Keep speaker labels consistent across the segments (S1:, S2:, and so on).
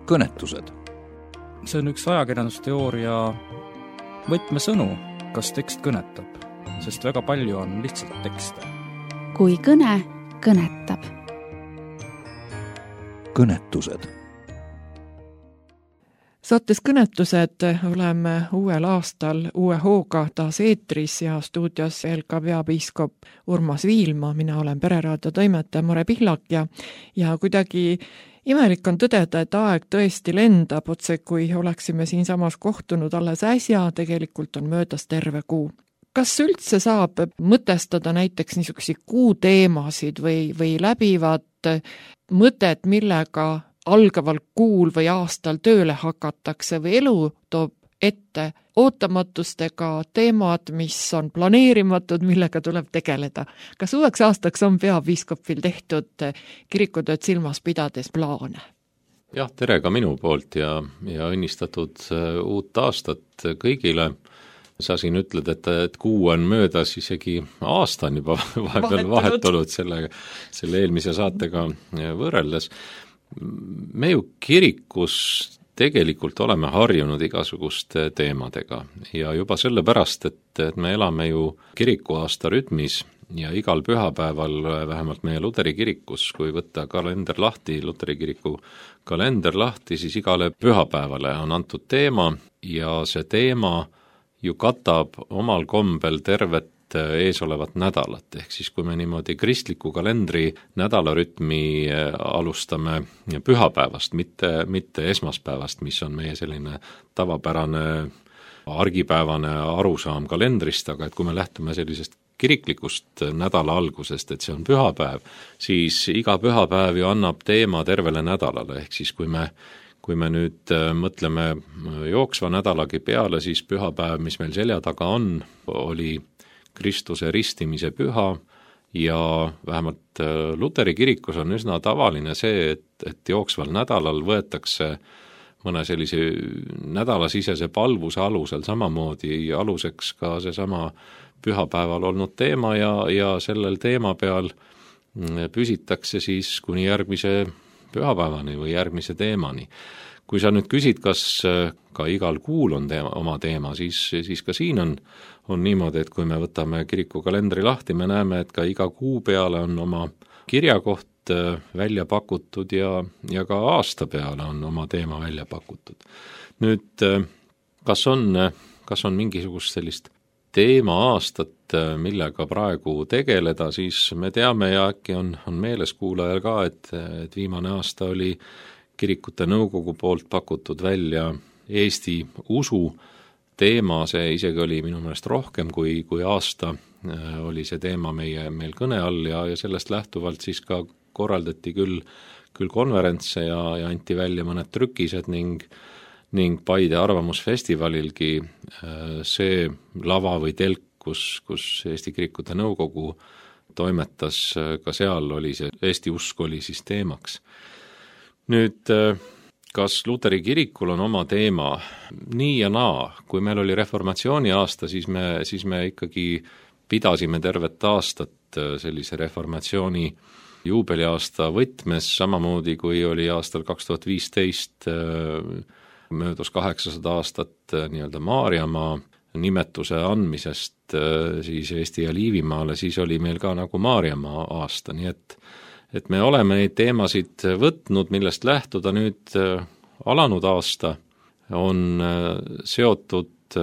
S1: kõnetused.
S2: See on üks ajakirjandusteooria võtmesõnu, kas tekst kõnetab, sest väga palju on lihtsalt tekste.
S3: Kui kõne kõnetab.
S1: Kõnetused.
S4: Saates Kõnetused oleme uuel aastal uue hooga taas eetris ja stuudios ELKA peapiiskop Urmas Viilma. Mina olen Pereraadio toimetaja Mare Pihlak ja kuidagi imelik on tõdeda, et aeg tõesti lendab, otse kui oleksime siinsamas kohtunud alles äsja, tegelikult on möödas terve kuu. Kas üldse saab mõtestada näiteks niisuguseid kuuteemasid või läbivad mõtet, millega algaval kuul või aastal tööle hakatakse või elu toob ette ootamatustega teemad, mis on planeerimatud, millega tuleb tegeleda? Kas uueks aastaks on peapiiskopil tehtud kirikutööd silmas pidades plaane?
S5: Jah, tere ka minu poolt ja õnnistatud uut aastat kõigile. Sa siin ütled, et kuu on möödas, isegi aasta on juba vahepeal vahetunud selle eelmise saatega võrreldes. Me ju kirikus tegelikult oleme harjunud igasuguste teemadega ja juba sellepärast, et me elame ju kirikuaasta rütmis ja igal pühapäeval, vähemalt meie Luteri kirikus, kui võtta kalender lahti, Luteri kiriku kalender lahti, siis igale pühapäevale on antud teema ja see teema ju katab omal kombel tervet eesolevat nädalat, ehk siis kui me niimoodi kristliku kalendri nädalarütmi alustame pühapäevast, mitte esmaspäevast, mis on meie selline tavapärane argipäevane arusaam kalendrist, aga et kui me lähtume sellisest kiriklikust nädala algusest, et see on pühapäev, siis iga pühapäev ju annab teema tervele nädalale, ehk siis kui me nüüd mõtleme jooksva nädalagi peale, siis pühapäev, mis meil selja taga on, oli Kristuse ristimise püha ja vähemalt Luteri kirikus on üsna tavaline see, et jooksval nädalal võetakse mõne sellise nädalasisese palvuse alusel samamoodi aluseks ka seesama pühapäeval olnud teema ja sellel teema peal püsitakse siis kuni järgmise pühapäevani või järgmise teemani. Kui sa nüüd küsid, kas ka igal kuul on oma teema, siis ka siin on niimoodi, et kui me võtame kiriku kalendri lahti, me näeme, et ka iga kuu peale on oma kirjakoht välja pakutud ja ka aasta peale on oma teema välja pakutud. Nüüd, kas on mingisugust sellist teema-aastat, millega praegu tegeleda, siis me teame ja äkki on meeles kuulajal ka, et viimane aasta oli kirikute nõukogu poolt pakutud välja Eesti usu teema, see isegi oli minu meelest rohkem kui aasta, oli see teema meil kõne all ja sellest lähtuvalt siis ka korraldati küll konverentse ja anti välja mõned trükised ning Paide arvamusfestivalilgi see lava või telk, kus Eesti kirikute nõukogu toimetas, ka seal oli see Eesti usk oli siis teemaks. Nüüd, kas Luteri kirikul on oma teema? Nii ja naa. Kui meil oli reformatsiooni aasta, siis me ikkagi pidasime tervet aastat sellise reformatsiooni juubeliaasta võtmes, samamoodi kui oli aastal 2015 möödus 800 aastat nii-öelda Maarjamaa nimetuse andmisest siis Eesti ja Liivimaale, siis oli meil ka nagu Maarjamaa aasta, nii et me oleme neid teemasid võtnud, millest lähtuda nüüd alanud aasta on seotud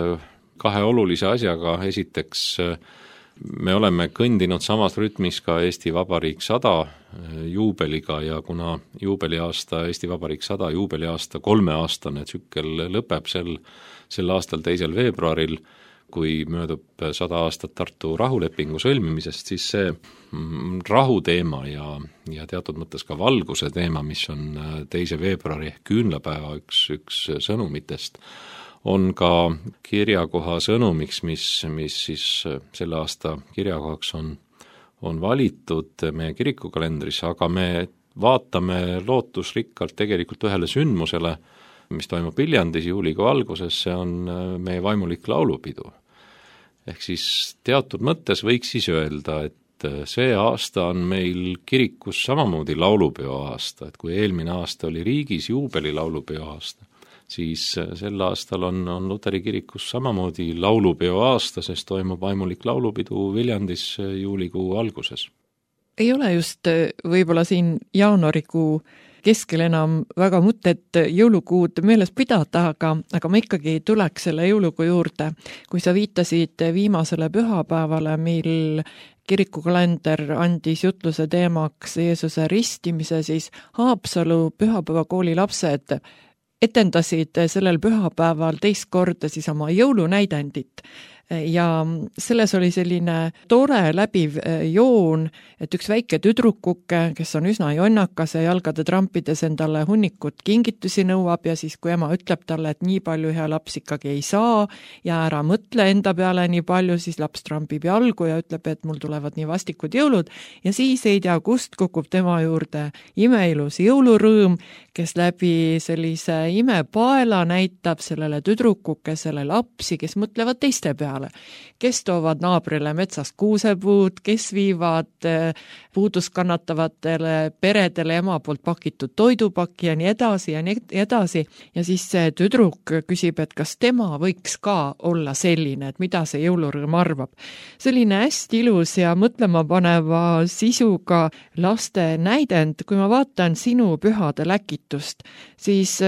S5: kahe olulise asjaga. Esiteks, me oleme kõndinud samas rütmis ka Eesti Vabariik 100 juubeliga ja kuna juubeliaasta, Eesti Vabariik 100 juubeliaasta 3-aastane tsükkel lõpeb sel aastal 2. veebruaril, kui möödub 100 aastat Tartu rahulepingu sõlmimisest, siis see rahuteema ja teatud mõttes ka valguse teema, mis on 2. veebruari ehk küünlapäeva üks sõnumitest, on ka kirjakoha sõnumiks, mis siis selle aasta kirjakohaks on valitud meie kirikukalendris, aga me vaatame lootusrikkalt tegelikult ühele sündmusele, mis toimub Viljandis juulikuu alguses, see on meie vaimulik laulupidu. Ehk siis teatud mõttes võiks siis öelda, see aasta on meil kirikus samamoodi laulupeo aasta, et kui eelmine aasta oli riigis juubeli laulupeo aasta, siis sel aastal on Luteri kirikus samamoodi laulupeo aasta, sest toimub vaimulik laulupidu Viljandis juulikuu alguses.
S4: Ei ole just võib-olla siin jaanuarikuu keskel enam väga mõtet jõulukuud meeles pidada, aga ma ikkagi tuleks selle jõulukuu juurde. Kui sa viitasid viimasele pühapäevale, mil kirikukalender andis jutluse teemaks Jeesuse ristimise, siis Haapsalu pühapäevakooli lapsed etendasid sellel pühapäeval teist korda siis oma jõulunäidendit. Ja selles oli selline tore läbiv joon, et üks väike tüdrukuke, kes on üsna jonnakas ja jalgade trampides endale hunnikut kingitusi nõuab ja siis kui ema ütleb talle, et nii palju hea laps ikkagi ei saa ja ära mõtle enda peale nii palju, siis laps trampib jalgu ja ütleb, et mul tulevad nii vastikud jõulud ja siis ei tea, kust kukub tema juurde imeilus jõulurõõm, kes läbi sellise imepaela näitab sellele tüdrukukesele lapsi, kes mõtlevad teiste peale, kes toovad naabrile metsast kuusepuud, kes viivad puudust kannatavatele peredele ema poolt pakitud toidupaki ja nii edasi ja nii edasi. Ja siis see tüdruk küsib, et kas tema võiks ka olla selline, et mida see jõulurõõm arvab. Selline hästi ilus ja mõtlema paneva sisuga laste näidend, kui ma vaatan sinu pühade läkitust, siis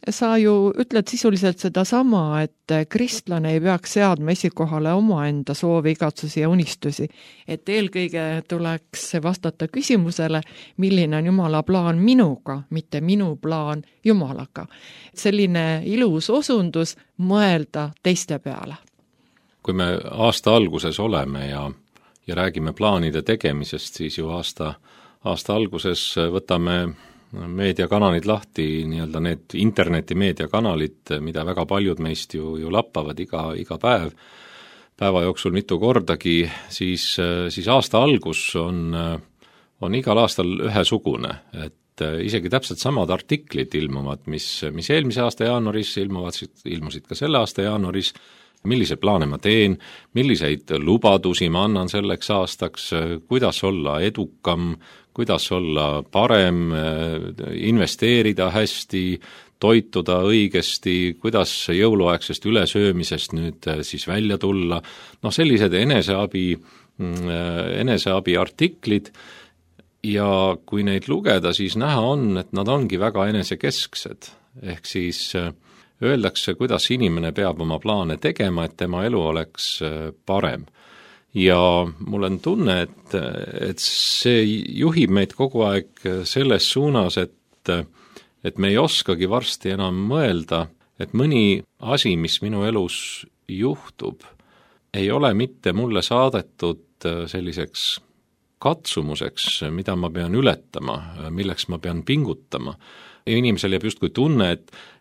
S4: sa ju ütled sisuliselt seda sama, et kristlane ei peaks seadma esikohale omaenda soovi, igatsusi ja unistusi. Et eelkõige tuleks vastata küsimusele, milline on Jumala plaan minuga, mitte minu plaan Jumalaga. Selline ilus osundus mõelda teiste peale.
S5: Kui me aasta alguses oleme ja räägime plaanide tegemisest, siis ju aasta alguses võtame meediakanalid lahti, nii-öelda need interneti meediakanalid, mida väga paljud meist ju lappavad iga päeva jooksul mitu kordagi, siis aasta algus on igal aastal ühesugune, et isegi täpselt samad artiklid ilmuvad, mis eelmise aasta jaanuaris ilmusid ka selle aasta jaanuaris, millise plaane ma teen, milliseid lubadusi ma annan selleks aastaks, kuidas olla edukam, kuidas olla parem, investeerida hästi, toituda õigesti, kuidas jõuluaegsest ülesöömisest nüüd siis välja tulla, sellised eneseabi artiklid ja kui neid lugeda, siis näha on, et nad ongi väga enesekesksed, ehk siis öeldakse, kuidas inimene peab oma plaane tegema, et tema elu oleks parem. Ja mul on tunne, et see juhib meid kogu aeg selles suunas, et me ei oskagi varsti enam mõelda, et mõni asi, mis minu elus juhtub, ei ole mitte mulle saadetud selliseks katsumuseks, mida ma pean ületama, milleks ma pean pingutama. Inimesel jääb justkui tunne,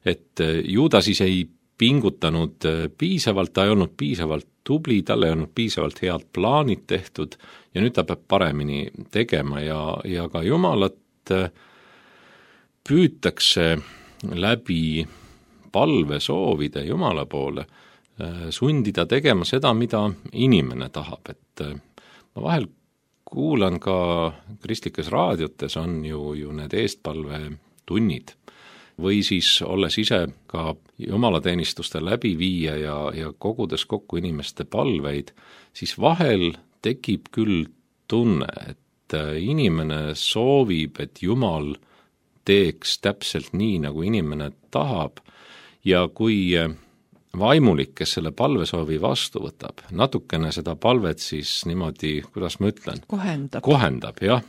S5: et ju ta siis ei pingutanud piisavalt, ta ei olnud piisavalt tubli, tal ei olnud piisavalt head plaanid tehtud ja nüüd ta peab paremini tegema ja ka Jumalat püütakse läbi palvesoovide Jumala poole sundida tegema seda, mida inimene tahab, et ma vahel kuulan ka kristlikes raadiotes on ju need eestpalve tunnid või siis olles ise ka jumalateenistuste läbiviija ja kogudes kokku inimeste palveid, siis vahel tekib küll tunne, et inimene soovib, et Jumal teeks täpselt nii, nagu inimene tahab ja kui vaimulik, kes selle palvesoovi vastu võtab, natukene seda palvet siis niimoodi, kuidas ma ütlen? Kohendab, jah.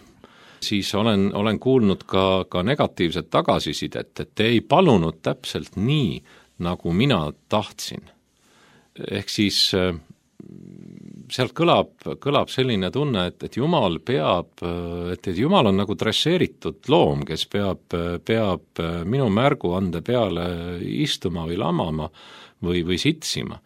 S5: Siis olen kuulnud ka negatiivset tagasisidet, et te ei palunud täpselt nii, nagu mina tahtsin. Ehk siis sealt kõlab selline tunne, et Jumal et Jumal on nagu dresseeritud loom, kes peab minu märguande peale istuma või lamama või sitsima.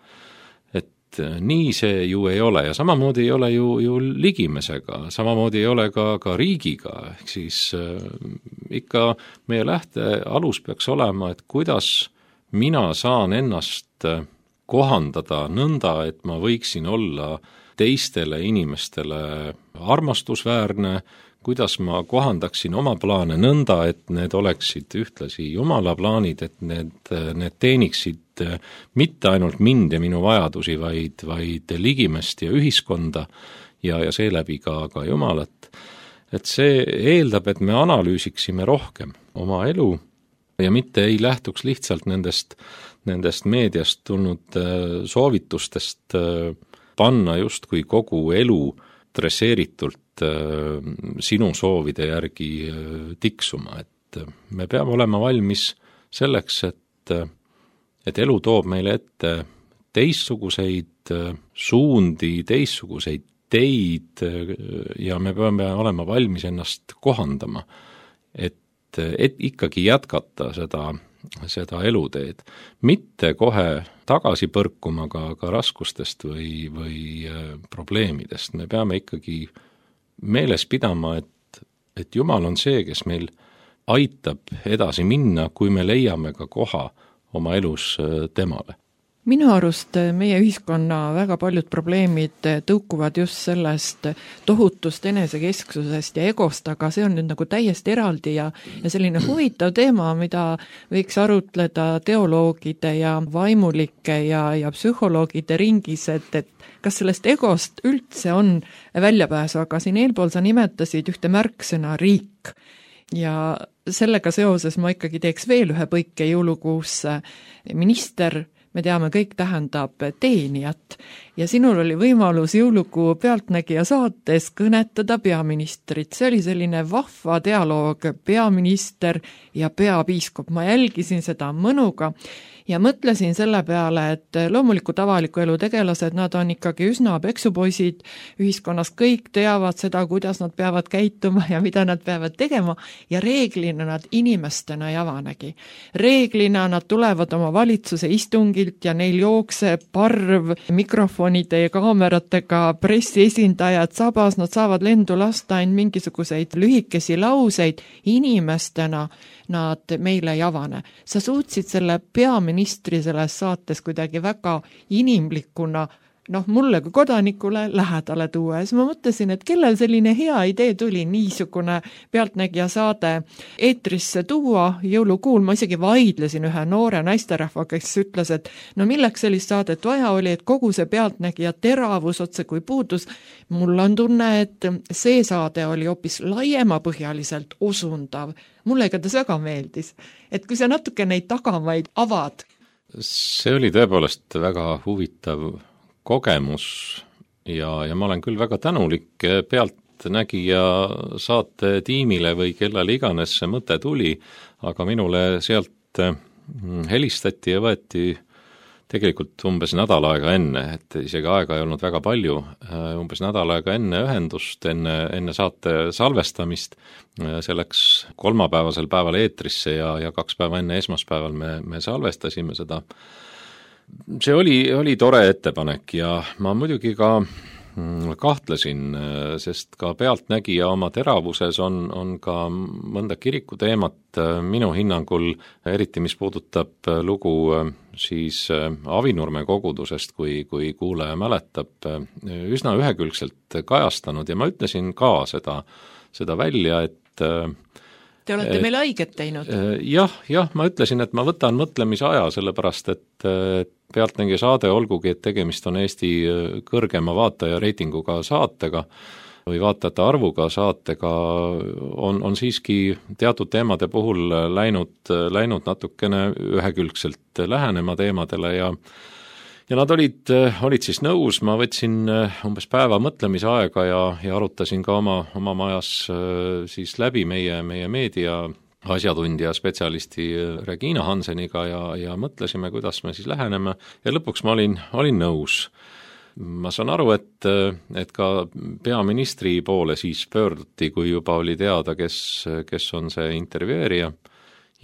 S5: Nii see ju ei ole ja samamoodi ei ole ju ligimesega, samamoodi ei ole ka riigiga, ehk siis ikka meie lähtealus peaks olema, et kuidas mina saan ennast kohandada nõnda, et ma võiksin olla teistele inimestele armastusväärne, kuidas ma kohandaksin oma plaane nõnda, et need oleksid ühtlasi Jumala plaanid, et need teeniksid mitte ainult mind ja minu vajadusi, vaid ligimest ja ühiskonda ja seeläbi ka Jumalat. Et see eeldab, et me analüüsiksime rohkem oma elu ja mitte ei lähtuks lihtsalt nendest meediast tulnud soovitustest panna justkui kogu elu dresseeritult sinu soovide järgi tiksuma, et me peame olema valmis selleks, et elu toob meile ette teistsuguseid suundi, teistsuguseid teid ja me peame olema valmis ennast kohandama, et ikkagi jätkata seda eluteed, mitte kohe tagasi põrkuma ka raskustest või probleemidest. Me peame ikkagi meeles pidama, et Jumal on see, kes meil aitab edasi minna, kui me leiame ka koha oma elus temale.
S4: Minu arust meie ühiskonna väga paljud probleemid tõukuvad just sellest tohutust enesekesksusest ja egost, aga see on nüüd nagu täiesti eraldi ja selline huvitav teema, mida võiks arutleda teoloogide ja vaimulike ja psühholoogide ringis, et kas sellest egost üldse on väljapääsu, aga siin eelpool sa nimetasid ühte märksõna riik ja sellega seoses ma ikkagi teeks veel ühe põike jõulukuusse. Minister, me teame, kõik tähendab teenijat ja sinul oli võimalus jõulukuu Pealtnägija saates kõnetada peaministrit. See oli selline vahva dialoog, peaminister ja peapiiskop. Ma jälgisin seda mõnuga ja mõtlesin selle peale, et loomulikult avaliku elu tegelased, nad on ikkagi üsna peksupoisid, ühiskonnas kõik teavad seda, kuidas nad peavad käituma ja mida nad peavad tegema ja reeglina nad inimestena ei avanegi. Reeglina nad tulevad oma valitsuse istungilt ja neil jookseb parv mikrofonide ja kaameratega pressiesindajad sabas, nad saavad lendu lasta ainult mingisuguseid lühikesi lauseid, inimestena nad meile ei avane. Sa suutsid selle peaministri selles saates kuidagi väga inimlikuna, mulle kui kodanikule lähedale tuua. Ja siis ma mõtlesin, et kellel selline hea idee tuli niisugune Pealtnägija saade eetrisse tuua jõulukuul. Ma isegi vaidlesin ühe noore naisterahva, kes ütles, et milleks sellist saadet vaja oli, et kogu see Pealtnägija teravus otse kui puudus. Mul on tunne, et see saade oli hoopis laiemapõhjaliselt osundav. Mulle igatahes väga meeldis, et kui sa natuke neid tagamaid avad.
S5: See oli tõepoolest väga huvitav kogemus ja ma olen küll väga tänulik Pealtnägija saate tiimile või kellel iganes see mõte tuli, aga minule sealt helistati ja võeti tegelikult umbes nädal aega enne, et isegi aega ei olnud väga palju, umbes nädal aega enne ühendust, enne saate salvestamist, selleks kolmapäevasel päeval eetrisse ja 2 päeva enne esmaspäeval me salvestasime seda. See oli tore ettepanek ja ma muidugi ka kahtlesin, sest ka Pealtnägija oma teravuses on ka mõnda kirikuteemat minu hinnangul, eriti mis puudutab lugu siis Avinurme kogudusest, kui kuulaja mäletab, üsna ühekülgselt kajastanud ja ma ütlesin ka seda välja, et
S4: te olete meile haiget teinud.
S5: Jah, ma ütlesin, et ma võtan mõtlemise aja, sellepärast et Pealtnägija saade, olgugi, et tegemist on Eesti kõrgema vaataja reitinguga saatega või vaatajate arvuga saatega, on siiski teatud teemade puhul läinud natukene ühekülgselt lähenema teemadele ja nad olid siis nõus, ma võtsin umbes päeva mõtlemise aega ja arutasin ka oma majas siis läbi meie meedia asjatundja spetsialisti Regina Hanseniga ja mõtlesime, kuidas me siis läheneme ja lõpuks ma olin nõus. Ma saan aru, et ka peaministri poole siis pöörduti, kui juba oli teada, kes on see intervjueerija.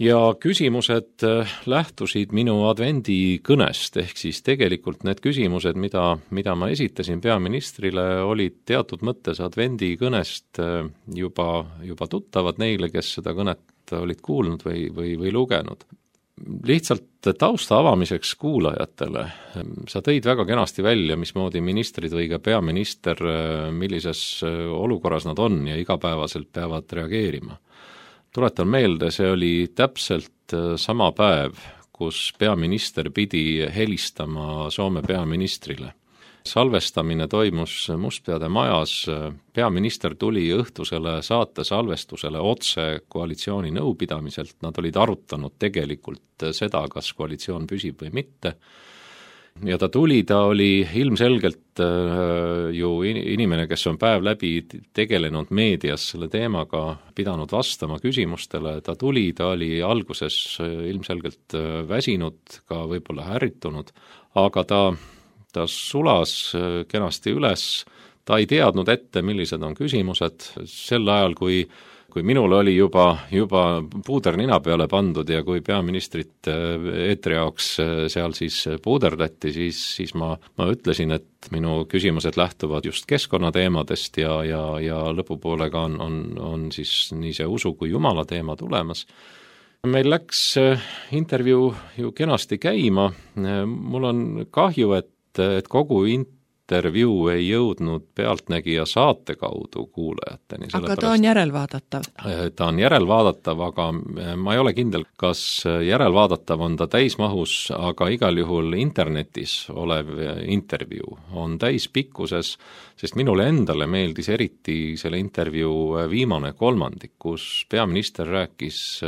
S5: Ja küsimused lähtusid minu advendikõnest, ehk siis tegelikult need küsimused, mida ma esitasin peaministrile, olid teatud mõttes advendikõnest juba tuttavad neile, kes seda kõnet olid kuulnud või lugenud. Lihtsalt tausta avamiseks kuulajatele. Sa tõid väga kenasti välja, mismoodi ministrid või ka peaminister, millises olukorras nad on ja igapäevaselt peavad reageerima. Tuletan meelde, see oli täpselt sama päev, kus peaminister pidi helistama Soome peaministrile. Salvestamine toimus Mustpeade majas, peaminister tuli õhtusele saate salvestusele otse koalitsiooni nõupidamiselt, nad olid arutanud tegelikult seda, kas koalitsioon püsib või mitte. Ja ta oli ilmselgelt ju inimene, kes on päev läbi tegelenud meedias selle teemaga, pidanud vastama küsimustele, ta oli alguses ilmselgelt väsinud, ka võib-olla ärritunud, aga ta sulas kenasti üles, ta ei teadnud ette, millised on küsimused, sel ajal, kui minul oli juba puuder nina peale pandud ja kui peaministrit eetri jaoks seal siis puuderdati, siis ma ütlesin, et minu küsimused lähtuvad just keskkonnateemadest ja lõpupoolega on siis nii see usu kui Jumala teema tulemas. Meil läks intervjuu ju kenasti käima, mul on kahju, et kogu intervjuu ei jõudnud Pealtnägija saate kaudu kuulajateni.
S4: Aga ta on järelvaadatav?
S5: Ta on järelvaadatav, aga ma ei ole kindel, kas järelvaadatav on ta täismahus, aga igal juhul internetis olev intervjuu on täispikkuses, sest minule endale meeldis eriti selle intervjuu viimane kolmandik, kus peaminister rääkis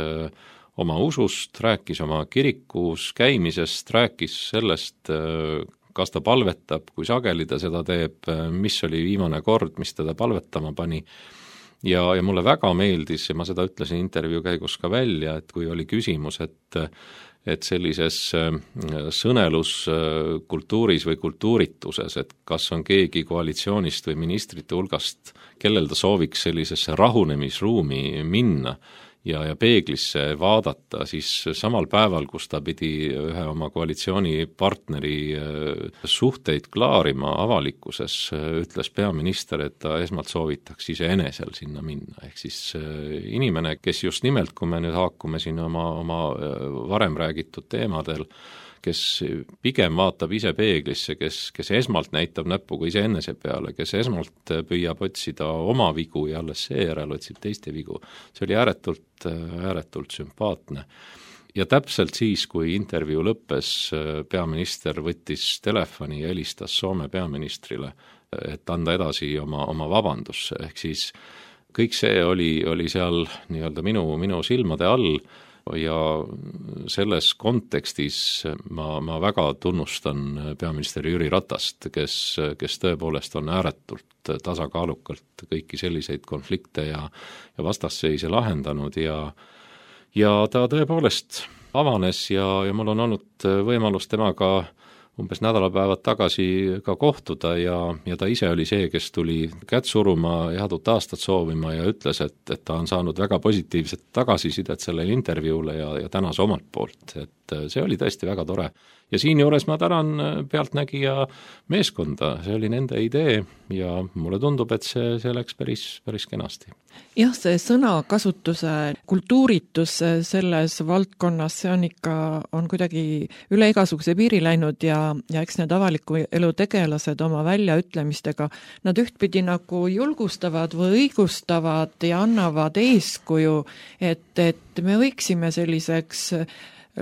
S5: oma usust, rääkis oma kirikus käimisest, rääkis sellest, kas ta palvetab, kui sageli ta seda teeb, mis oli viimane kord, mis teda palvetama pani. Ja mulle väga meeldis, ja ma seda ütlesin intervjuu käigus ka välja, et kui oli küsimus, et sellises sõneluskultuuris või kultuurituses, et kas on keegi koalitsioonist või ministrite hulgast, kellel ta sooviks sellisesse rahunemisruumi minna, ja peeglisse vaadata, siis samal päeval, kus ta pidi ühe oma koalitsioonipartneri suhteid klaarima avalikkuses, ütles peaminister, et ta esmalt soovitaks iseenesel sinna minna. Ehk siis inimene, kes just nimelt, kui me nüüd haakume siin oma varem räägitud teemadel, kes pigem vaatab ise peeglisse, kes esmalt näitab näpuga iseenese peale, kes esmalt püüab otsida oma vigu ja alles seejärel otsib teiste vigu. See oli ääretult sümpaatne. Ja täpselt siis, kui intervjuu lõppes, peaminister võttis telefoni ja helistas Soome peaministrile, et anda edasi oma vabandusse. Ehk siis kõik see oli seal nii-öelda minu silmade all, ja selles kontekstis ma väga tunnustan peaminister Jüri Ratast, kes tõepoolest on ääretult tasakaalukalt kõiki selliseid konflikte ja vastasseise lahendanud ja ta tõepoolest avanes ja mul on olnud võimalus temaga umbes nädalapäevad tagasi ka kohtuda ja ta ise oli see, kes tuli kätt suruma, headut aastat soovima ja ütles, et ta on saanud väga positiivset tagasisidet sellele intervjuule ja tänas omalt poolt, et see oli tõesti väga tore. Ja siinjuures ma tänan Pealtnägija meeskonda, see oli nende idee ja mulle tundub, et see läks päris kenasti.
S4: Jah, see sõnakasutuse kultuuritus selles valdkonnas, see on kuidagi üle igasuguse piiri läinud ja eks need avaliku elu tegelased oma väljaütlemistega, nad ühtpidi nagu julgustavad või õigustavad ja annavad eeskuju, et me võiksime selliseks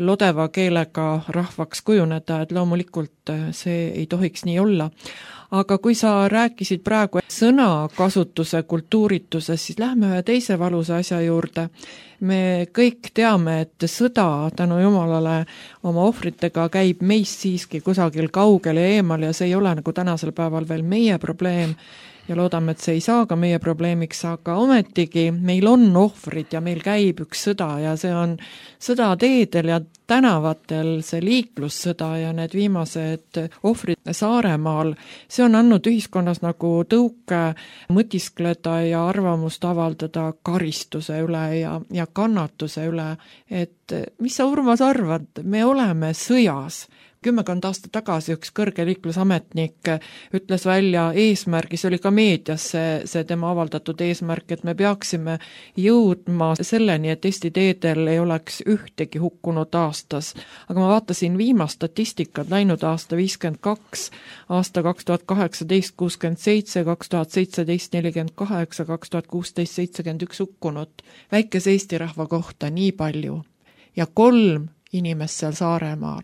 S4: lodeva keelega rahvaks kujuneda, et loomulikult see ei tohiks nii olla. Aga kui sa rääkisid praegu sõnakasutuse kultuurituses, siis lähme ühe teise valusa asja juurde. Me kõik teame, et sõda tänu Jumalale oma ohvritega käib meist siiski kusagil kaugel ja eemal ja see ei ole nagu tänasel päeval veel meie probleem ja loodame, et see ei saa ka meie probleemiks, aga ometigi meil on ohvrid ja meil käib üks sõda ja see on sõda teedel ja tänavatel, see liiklussõda ja need viimased ohvrid Saaremaal, see on andnud ühiskonnas nagu tõuke mõtiskleda ja arvamust avaldada karistuse üle ja kannatuse üle, et mis sa, Urmas, arvad, me oleme sõjas. 10 aastat tagasi üks kõrge liiklusametnik ütles välja eesmärgi, see oli ka meedias see tema avaldatud eesmärk, et me peaksime jõudma selleni, et Eesti teedel ei oleks ühtegi hukkunut aastas. Aga ma vaatasin viimast statistikat, läinud aasta 52, aasta 2018 67, 2017 48, 2016 71 hukkunut. Väikese Eesti rahva kohta nii palju ja 3 inimest seal Saaremaal.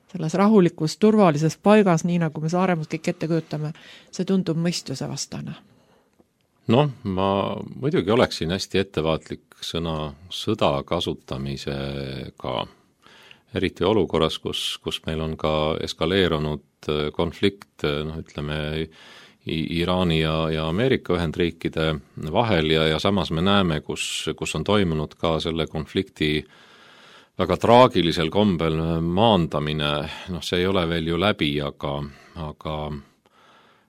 S4: Selles rahulikus, turvalises paigas, nii nagu me Saaremaas kõik ette kujutame, see tundub mõistuse vastane.
S5: Noh, ma muidugi oleksin hästi ettevaatlik sõna sõda kasutamisega, eriti olukorras, kus meil on ka eskaleerunud konflikt, ütleme, Iraani ja Ameerika Ühendriikide vahel ja samas me näeme, kus on toimunud ka selle konflikti väga traagilisel kombel maandamine, see ei ole veel ju läbi, aga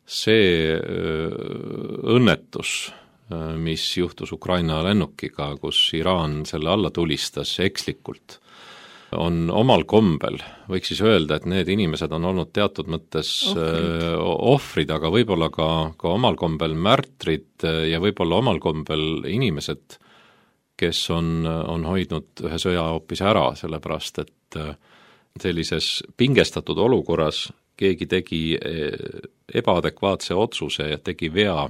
S5: see õnnetus, mis juhtus Ukraina lennukiga, kus Iraan selle alla tulistas ekslikult, on omal kombel, võiks siis öelda, et need inimesed on olnud teatud mõttes ohvrid, aga võib-olla ka omal kombel märtrid ja võib-olla omal kombel inimesed, kes on hoidnud ühe sõja hoopis ära, sellepärast et sellises pingestatud olukorras keegi tegi ebaadekvaatse otsuse ja tegi vea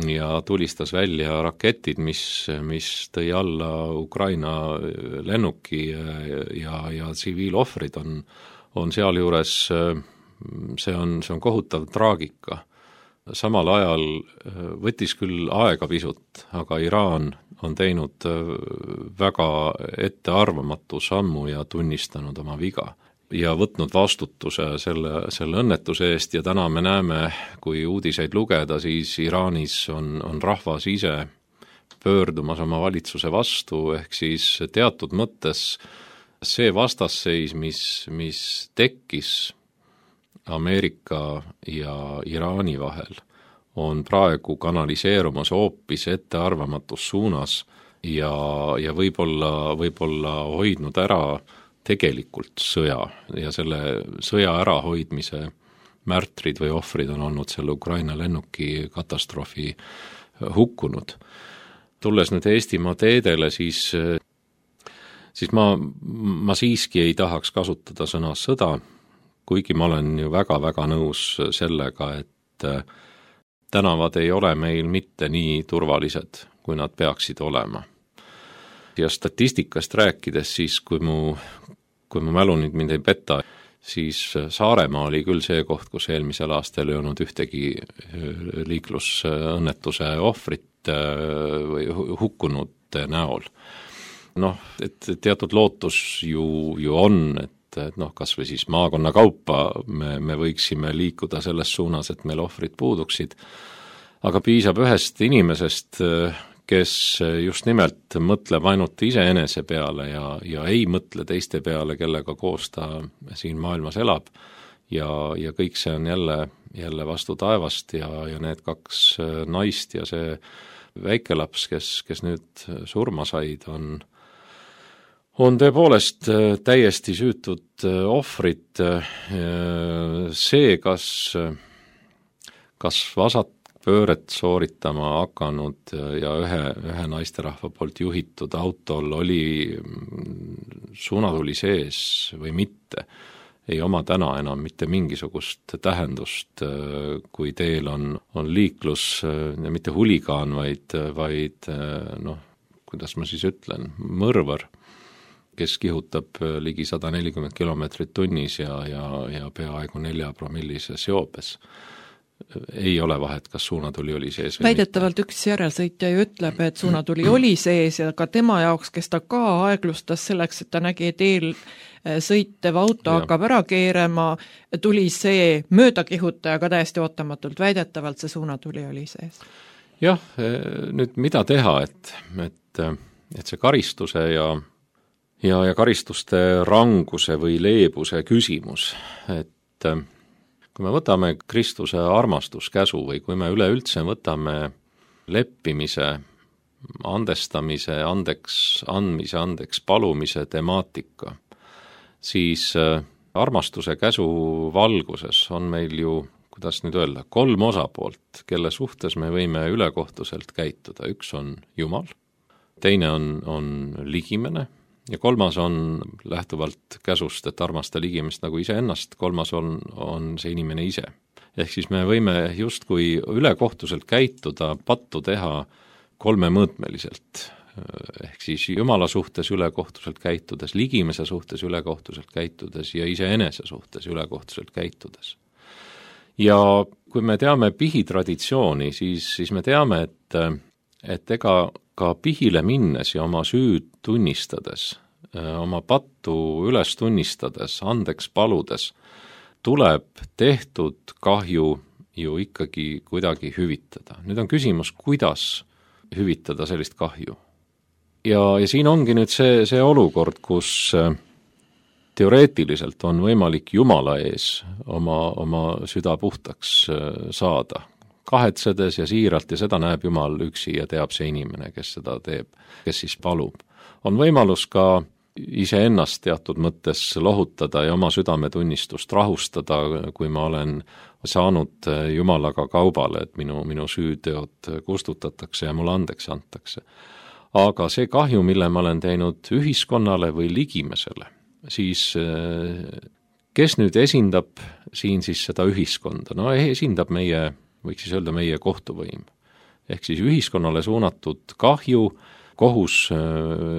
S5: ja tulistas välja raketid, mis tõi alla Ukraina lennuki ja tsiviilohvrid on sealjuures, see on kohutav traagika. Samal ajal võttis küll aega pisut, aga Iraan on teinud väga ettearvamatu sammu ja tunnistanud oma viga ja võtnud vastutuse selle õnnetuse eest ja täna me näeme, kui uudiseid lugeda, siis Iraanis on rahvas ise pöördumas oma valitsuse vastu, ehk siis teatud mõttes see vastasseis, mis tekkis Ameerika ja Iraani vahel, on praegu kanaliseerumas hoopis ettearvamatus suunas ja võib-olla hoidnud ära tegelikult sõja ja selle sõja ärahoidmise märtrid või ohvrid on olnud selle Ukraina lennuki katastroofi hukkunud. Tulles nüüd Eestimaa teedele, siis ma siiski ei tahaks kasutada sõna sõda, kuigi ma olen ju väga-väga nõus sellega, et tänavad ei ole meil mitte nii turvalised, kui nad peaksid olema. Ja statistikast rääkides siis, kui mu mälu nüüd mind ei peta, siis Saaremaa oli küll see koht, kus eelmisel aastal ei olnud ühtegi liiklusõnnetuse ohvrit või hukkunute näol. Et teatud lootus ju on, et kas või siis maakonna kaupa me võiksime liikuda selles suunas, et meil ohvrid puuduksid, aga piisab ühest inimesest, kes just nimelt mõtleb ainult iseenese peale ja ei mõtle teiste peale, kellega koos ta siin maailmas elab ja kõik see on jälle vastu taevast ja need 2 naist ja see väikelaps, kes nüüd surma said, on tõepoolest täiesti süütud ohvrid. See, kas vasakpööret sooritama hakanud ja ühe naisterahva poolt juhitud autol oli suunatuli sees või mitte, ei oma täna enam mitte mingisugust tähendust, kui teel on liiklus, mitte huligaan, vaid kuidas ma siis ütlen, mõrvar, kes kihutab ligi 140 kilomeetrit tunnis ja peaaegu 4-promillises joobes. Ei ole vahet, kas suunatuli oli sees või
S4: väidetavalt mitte. Üks järelsõitja ju ütleb, et suunatuli oli sees ja ka tema jaoks, kes ta ka aeglustas selleks, et ta nägi, et sõitev auto hakkab ära keerama, tuli see möödakihutaja ka täiesti ootamatult, väidetavalt see suunatuli oli sees.
S5: Jah, nüüd mida teha, et see karistuse ja karistuste ranguse või leebuse küsimus, et kui me võtame Kristuse armastuskäsu või kui me üleüldse võtame leppimise, andestamise, andeks andmise, andeks palumise temaatika, siis armastuse käsu valguses on meil ju, kuidas nüüd öelda, 3 osapoolt, kelle suhtes me võime ülekohtuselt käituda. Üks on Jumal, teine on ligimene ja 3. on lähtuvalt käsust, et armasta ligimest nagu iseennast, 3. on see inimene ise. Ehk siis me võime justkui ülekohtuselt käituda, pattu teha 3-mõõtmeliselt. Ehk siis Jumala suhtes ülekohtuselt käitudes, ligimese suhtes ülekohtuselt käitudes ja iseenese suhtes ülekohtuselt käitudes. Ja kui me teame pihitraditsiooni, siis me teame, et ega ka pihile minnes ja oma süüd tunnistades, oma pattu üles tunnistades, andeks paludes, tuleb tehtud kahju ju ikkagi kuidagi hüvitada. Nüüd on küsimus, kuidas hüvitada sellist kahju. Ja siin ongi nüüd see olukord, kus teoreetiliselt on võimalik Jumala ees oma süda puhtaks saada, kahetsedes ja siiralt, ja seda näeb Jumal üksi ja teab see inimene, kes seda teeb, kes siis palub. On võimalus ka iseennast teatud mõttes lohutada ja oma südametunnistust rahustada, kui ma olen saanud Jumalaga kaubale, et minu süüteod kustutatakse ja mulle andeks antakse. Aga see kahju, mille ma olen teinud ühiskonnale või ligimesele, siis kes nüüd esindab siin siis seda ühiskonda? No esindab võiks siis öelda meie kohtuvõim. Ehk siis ühiskonnale suunatud kahju, kohus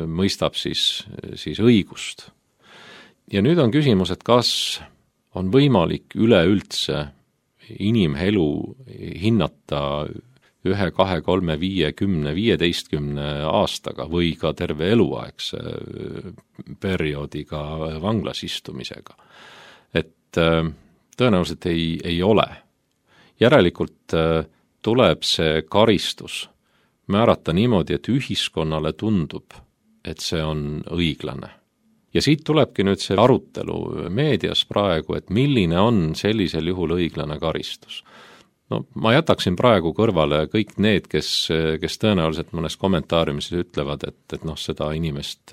S5: mõistab siis õigust. Ja nüüd on küsimus, et kas on võimalik üleüldse inimelu hinnata 1, 2, 3, 5, 10, 15 aastaga või ka terve eluaegse perioodiga vanglas istumisega. Et tõenäoliselt ei ole. Järelikult tuleb see karistus määrata niimoodi, et ühiskonnale tundub, et see on õiglane. Ja siit tulebki nüüd see arutelu meedias praegu, et milline on sellisel juhul õiglane karistus. No, ma jätaksin praegu kõrvale kõik need, kes tõenäoliselt mõnes kommentaariumis ütlevad, et seda inimest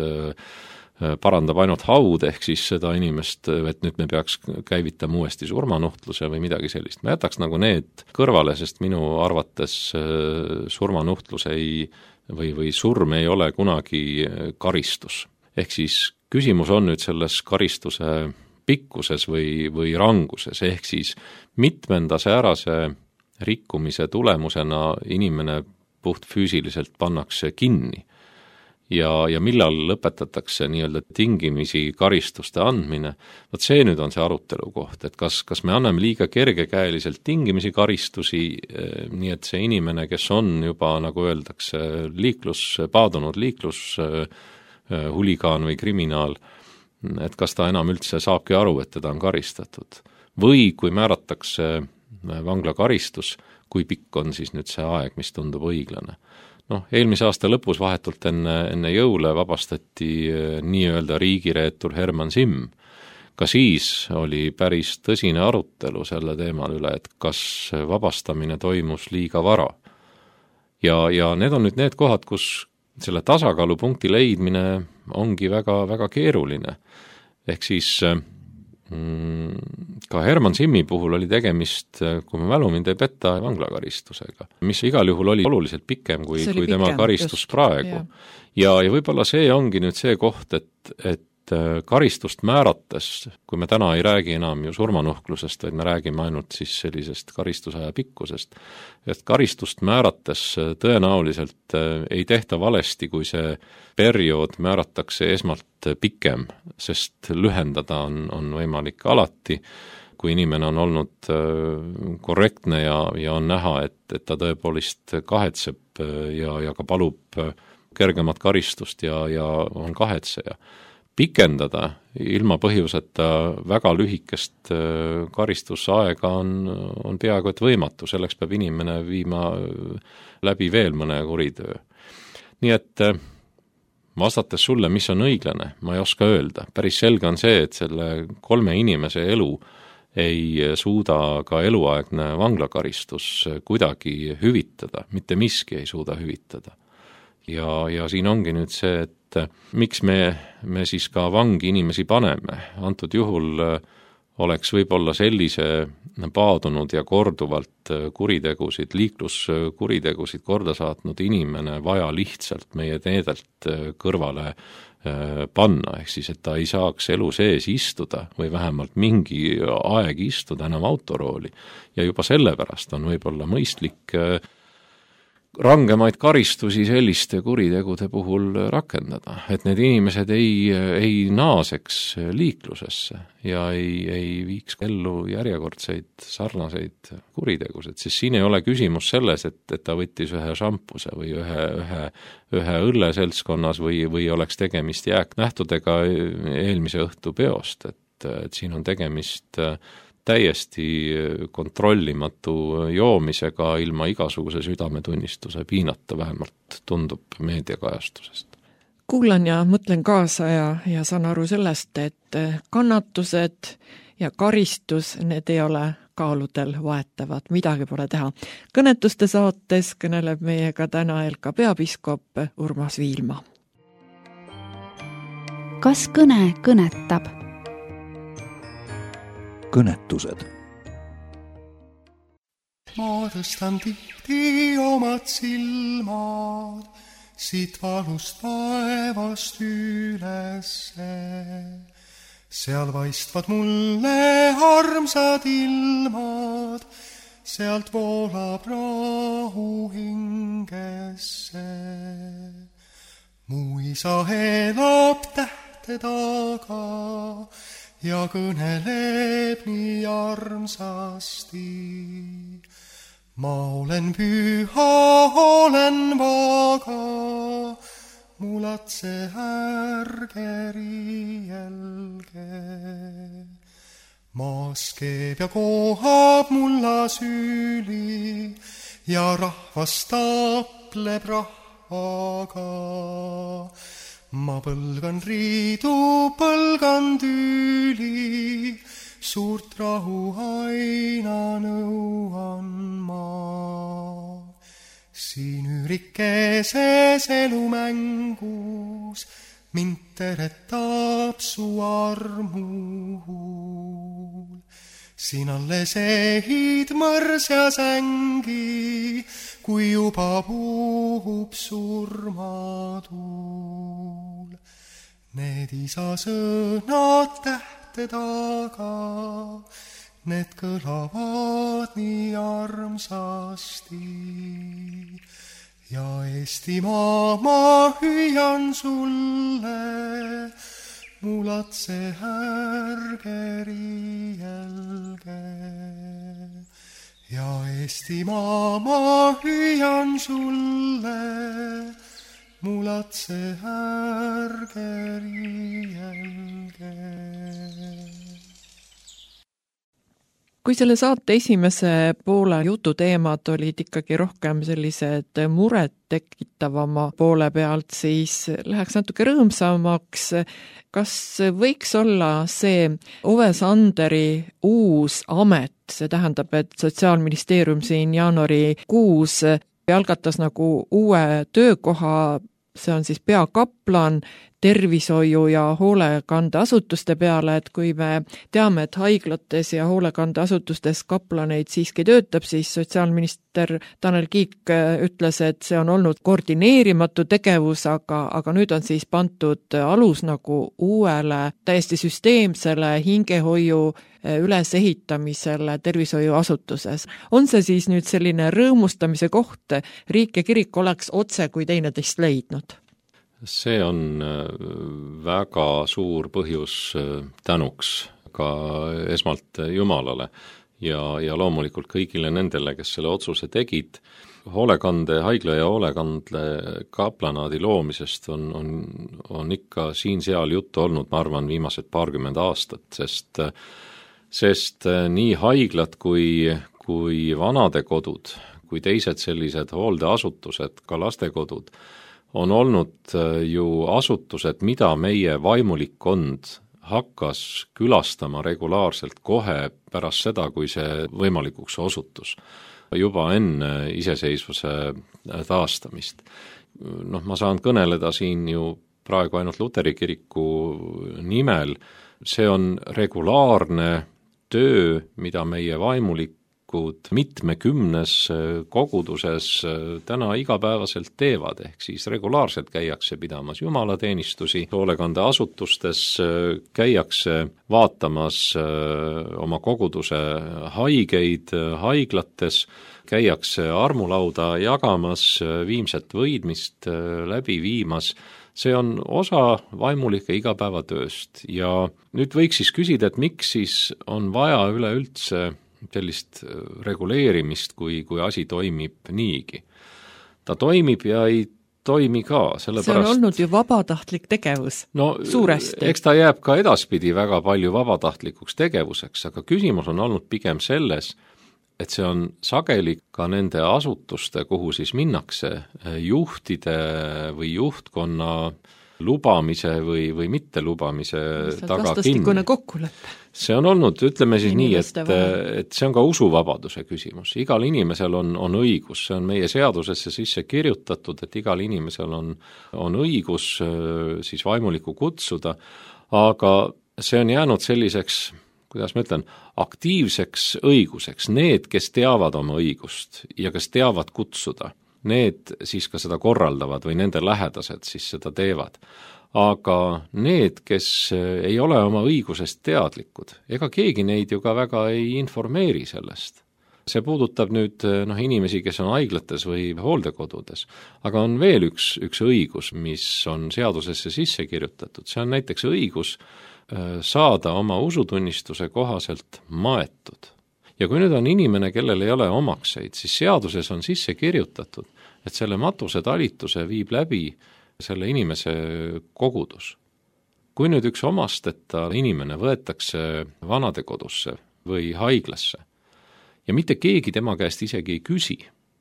S5: parandab ainult haud, ehk siis seda inimest, et nüüd me peaks käivitama uuesti surmanuhtluse või midagi sellist. Ma jätaks nagu need kõrvale, sest minu arvates surmanuhtlus või surm ei ole kunagi karistus. Ehk siis küsimus on nüüd selles karistuse pikkuses või ranguses, ehk siis mitmenda säärase rikkumise tulemusena inimene puht füüsiliselt pannakse kinni ja millal lõpetatakse nii-öelda tingimisi karistuste andmine. Vot see nüüd on see arutelu koht, et kas me anname liiga kergekäeliselt tingimisi karistusi, nii et see inimene, kes on juba, nagu öeldakse, paadunud huligaan või kriminaal, et kas ta enam üldse saabki aru, et teda on karistatud. Või kui määratakse vanglakaristus, kui pikk on siis nüüd see aeg, mis tundub õiglane. Eelmise aasta lõpus vahetult enne jõule vabastati nii-öelda riigireetur Herman Simm. Ka siis oli päris tõsine arutelu selle teemal üle, et kas vabastamine toimus liiga vara. Ja need on nüüd need kohad, kus selle tasakaalupunkti leidmine ongi väga, väga keeruline. Ehk siis ka Herman Simmi puhul oli tegemist, kui ma mälu mind ei petta, vanglakaristusega, mis igal juhul oli oluliselt pikem kui tema karistus just praegu. Ja võib-olla see ongi nüüd see koht, et karistust määrates, kui me täna ei räägi enam ju surmanuhklusest, vaid me räägime ainult siis sellisest karistusaja pikkusest, et karistust määrates tõenäoliselt ei tehta valesti, kui see periood määratakse esmalt pikem, sest lühendada on võimalik alati, kui inimene on olnud korrektne ja on näha, et ta tõepoolest kahetseb ja ka palub kergemat karistust ja on kahetseja. Pikendada ilma põhjuseta väga lühikest karistusaega on peaaegu et võimatu, selleks peab inimene viima läbi veel mõne kuritöö. Nii et vastates sulle, mis on õiglane, ma ei oska öelda. Päris selge on see, et selle 3 inimese elu ei suuda ka eluaegne vanglakaristus kuidagi hüvitada, mitte miski ei suuda hüvitada. Ja siin ongi nüüd see, et miks me siis ka vangi inimesi paneme. Antud juhul oleks võib-olla sellise paadunud ja korduvalt kuritegusid, liikluskuritegusid korda saatnud inimene vaja lihtsalt meie teedelt kõrvale panna, ehk siis, et ta ei saaks elu sees istuda või vähemalt mingi aeg istuda enam autorooli. Ja juba sellepärast on võib-olla mõistlik rangemaid karistusi selliste kuritegude puhul rakendada, et need inimesed ei naaseks liiklusesse ja ei viiks ellu järjekordseid sarnaseid kuritegusid, sest siin ei ole küsimus selles, et ta võttis ühe šampuse või ühe õlleseltskonnas või oleks tegemist jääknähtudega eelmise õhtu peost, et siin on tegemist täiesti kontrollimatu joomisega ilma igasuguse südametunnistuse piinata, vähemalt tundub meediakajastusest.
S4: Kuulan ja mõtlen kaasa ja saan aru sellest, et kannatused ja karistus, need ei ole kaaludel vaetavad, midagi pole teha. Kõnetuste saates kõneleb meiega täna Elka peapiiskop Urmas Viilma.
S3: Kas kõne kõnetab?
S1: Kõnetused.
S6: Ma tõstan tihti omad silmad siit valust taevast ülesse. Seal vaistvad mulle armsad ilmad, sealt voolab rahu hingesse. Mu isa elab tähte taga ja kõneleb nii armsasti. Ma olen püha, olen vaga, mu latse ärge riielge. Maas keeb ja kohab mulla süüli ja rahvas tapleb rahvaga. Ma põlgan riidu, põlgan tüüli, suurt rahu aina nõuan ma. Siin üürikeses elumängus mind teretab su armuhul. Siin alles ehid mõrs ja sängi, kui juba puhub surmatuul. Need isa sõnad tähte taga, need kõlavad nii armsasti. Ja Eestimaa ma hüüan sulle, mu latse ärge riielge. Ja Eestimaa ma hüüan sulle, mu latse ärge riielge.
S4: Kui selle saate esimese poole jututeemad olid ikkagi rohkem sellised muret tekitavama poole pealt, siis läheks natuke rõõmsamaks. Kas võiks olla see Ove Sanderi uus amet, see tähendab, et Sotsiaalministeerium siin jaanuarikuus algatas nagu uue töökoha, see on siis peakaplan tervishoiu ja hoolekandeasutuste peale, et kui me teame, et haiglates ja hoolekandeasutustes kaplaneid siiski töötab, siis sotsiaalminister Tanel Kiik ütles, et see on olnud koordineerimatu tegevus, aga nüüd on siis pandud alus nagu uuele täiesti süsteemsele hingehoiu ülesehitamisele tervishoiuasutuses. On see siis nüüd selline rõõmustamise koht, riik ja kirik oleks otse kui teineteist leidnud?
S5: See on väga suur põhjus tänuks ka esmalt Jumalale ja loomulikult kõigile nendele, kes selle otsuse tegid. Haigla ja hoolekande kaplanaadi loomisest on ikka siin-seal juttu olnud, ma arvan, viimased 20 aastat, sest nii haiglad kui vanadekodud, kui teised sellised hooldeasutused, ka lastekodud, on olnud ju asutused, mida meie vaimulikkond hakkas külastama regulaarselt kohe pärast seda, kui see võimalikuks osutus, juba enne iseseisvuse taastamist. Ma saan kõneleda siin ju praegu ainult Luteri kiriku nimel, see on regulaarne töö, mida meie vaimulikud mitmekümnes koguduses täna igapäevaselt teevad, ehk siis regulaarselt käiakse pidamas jumalateenistusi, hoolekandeasutustes käiakse vaatamas oma koguduse haigeid haiglates, käiakse armulauda jagamas, viimset võidmist läbi viimas. See on osa vaimulike igapäevatööst ja nüüd võiks siis küsida, et miks siis on vaja üleüldse sellist reguleerimist, kui asi toimib niigi. Ta toimib ja ei toimi ka, sellepärast... See
S4: on olnud ju vabatahtlik tegevus, suuresti.
S5: Eks ta jääb ka edaspidi väga palju vabatahtlikuks tegevuseks, aga küsimus on olnud pigem selles, et see on sageli ka nende asutuste, kuhu siis minnakse juhtide või juhtkonna lubamise või mitte lubamise taga kinni.
S4: Kokkulepe.
S5: See on olnud, ütleme siis nii, et see on ka usuvabaduse küsimus. Igal inimesel on õigus, see on meie seadusesse sisse kirjutatud, et igal inimesel on õigus siis vaimulikku kutsuda, aga see on jäänud selliseks, kuidas ma ütlen, aktiivseks õiguseks. Need, kes teavad oma õigust ja kes teavad kutsuda, need siis ka seda korraldavad või nende lähedased siis seda teevad. Aga need, kes ei ole oma õigusest teadlikud, ega keegi neid ju ka väga ei informeeri sellest. See puudutab nüüd inimesi, kes on haiglates või hooldekodudes, aga on veel üks õigus, mis on seadusesse sisse kirjutatud. See on näiteks õigus saada oma usutunnistuse kohaselt maetud. Ja kui nüüd on inimene, kellel ei ole omakseid, siis seaduses on sisse kirjutatud, et selle matuse talituse viib läbi selle inimese kogudus. Kui nüüd üks omasteta inimene võetakse vanadekodusse või haiglasse ja mitte keegi tema käest isegi ei küsi,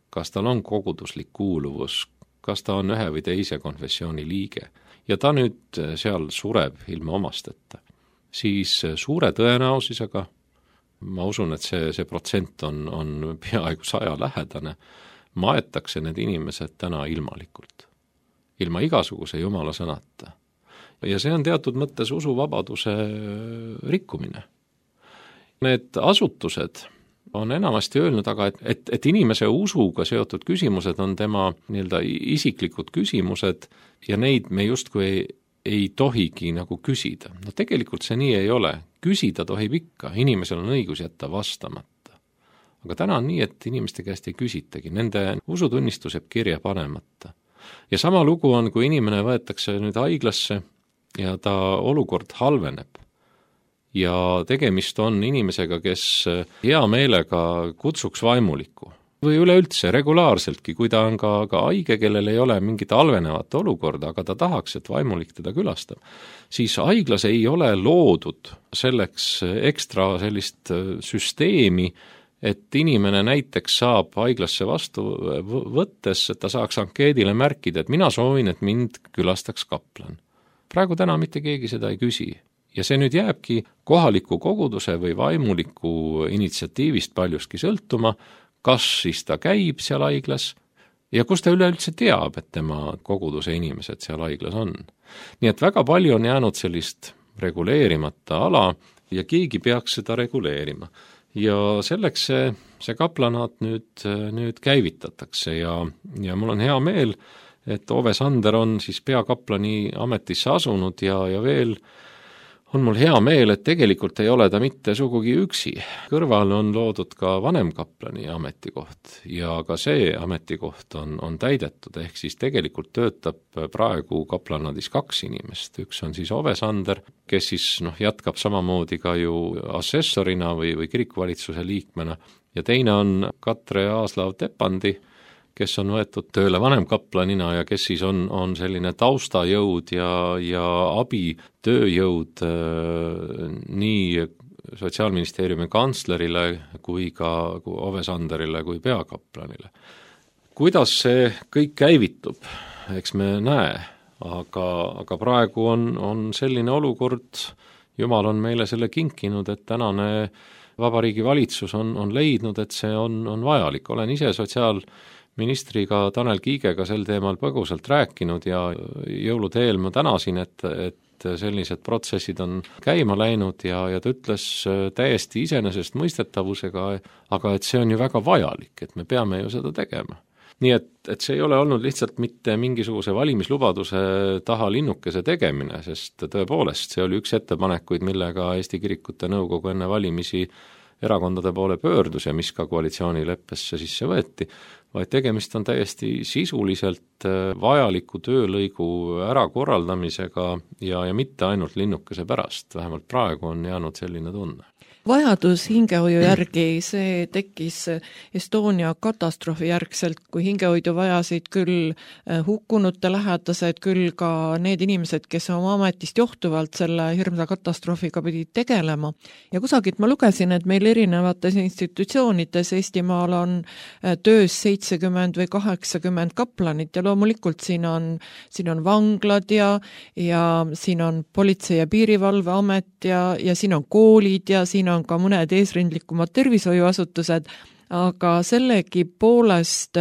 S5: kas tal on koguduslik kuuluvus, kas ta on ühe või teise konfessiooni liige, ja ta nüüd seal sureb ilma omasteta, siis suure tõenäosusega, ma usun, et see protsent on peaaegu 100 lähedane, maetakse need inimesed täna ilmalikult, ilma igasuguse jumala sõnata. Ja see on teatud mõttes usuvabaduse rikkumine. Need asutused on enamasti öelnud, aga et inimese usuga seotud küsimused on tema nii-öelda isiklikud küsimused ja neid me justkui ei tohigi nagu küsida. No tegelikult see nii ei ole. Küsida tohib ikka, inimesel on õigus jätta vastamata. Aga täna on nii, et inimeste käest ei küsitagi, nende usutunnistus jääb kirja panemata. Ja sama lugu on, kui inimene võetakse nüüd haiglasse ja ta olukord halveneb. Ja tegemist on inimesega, kes hea meelega kutsuks vaimulikku. Või üleüldse regulaarseltki, kui ta on ka haige, kellel ei ole mingit halvenevat olukorda, aga ta tahaks, et vaimulik teda külastab, siis haiglas ei ole loodud selleks ekstra sellist süsteemi, et inimene näiteks saab haiglasse vastu võttes, et ta saaks ankeedile märkida, et mina soovin, et mind külastaks kaplan. Praegu täna mitte keegi seda ei küsi. Ja see nüüd jääbki kohaliku koguduse või vaimuliku initsiatiivist paljuski sõltuma, kas siis ta käib seal haiglas ja kus ta üleüldse teab, et tema koguduse inimesed seal haiglas on. Nii et väga palju on jäänud sellist reguleerimata ala ja keegi peaks seda reguleerima. Ja selleks see kaplanaat nüüd käivitatakse ja mul on hea meel, et Ove Sander on siis peakaplani ametisse asunud ja veel on mul hea meel, et tegelikult ei ole ta mitte sugugi üksi. Kõrval on loodud ka vanemkaplani ametikoht ja ka see ametikoht on täidetud, ehk siis tegelikult töötab praegu kaplanaadis 2 inimest. Üks on siis Ove Sander, kes siis jätkab samamoodi ka ju assessorina või kirikuvalitsuse liikmena ja teine on Katre Aaslav-Tepandi, kes on võetud tööle vanemkaplanina ja kes siis on selline taustajõud ja abitööjõud nii Sotsiaalministeeriumi kantslerile kui ka Ove Sanderile kui peakaplanile. Kuidas see kõik käivitub, eks me näe, aga praegu on selline olukord, Jumal on meile selle kinkinud, et tänane Vabariigi valitsus on leidnud, et see on vajalik. Olen ise ministriga Tanel Kiigega sel teemal põgusalt rääkinud ja jõulude eel ma tänasin, et sellised protsessid on käima läinud ja ta ütles täiesti iseenesestmõistetavusega, aga et see on ju väga vajalik, et me peame ju seda tegema. Nii et see ei ole olnud lihtsalt mitte mingisuguse valimislubaduse taha linnukese tegemine, sest tõepoolest see oli üks ettepanekuid, millega Eesti Kirikute Nõukogu enne valimisi erakondade poole pöördus ja mis ka koalitsioonileppesse sisse võeti, vaid tegemist on täiesti sisuliselt vajaliku töölõigu ärakorraldamisega ja mitte ainult linnukese pärast, vähemalt praegu on jäänud selline tunne.
S4: Vajadus hingehoiu järgi, see tekkis Estonia katastroofi järgselt, kui hingehoidu vajasid küll hukkunute lähedased, küll ka need inimesed, kes oma ametist johtuvalt selle hirmsa katastroofiga pidid tegelema. Ja kusagilt ma lugesin, et meil erinevates institutsioonides Eestimaal on töös 70 või 80 kaplanit ja loomulikult siin on vanglad ja siin on Politsei- ja Piirivalveamet ja siin on koolid ja siin on ka mõned eesrindlikumad tervishoiuasutused, aga sellegi poolest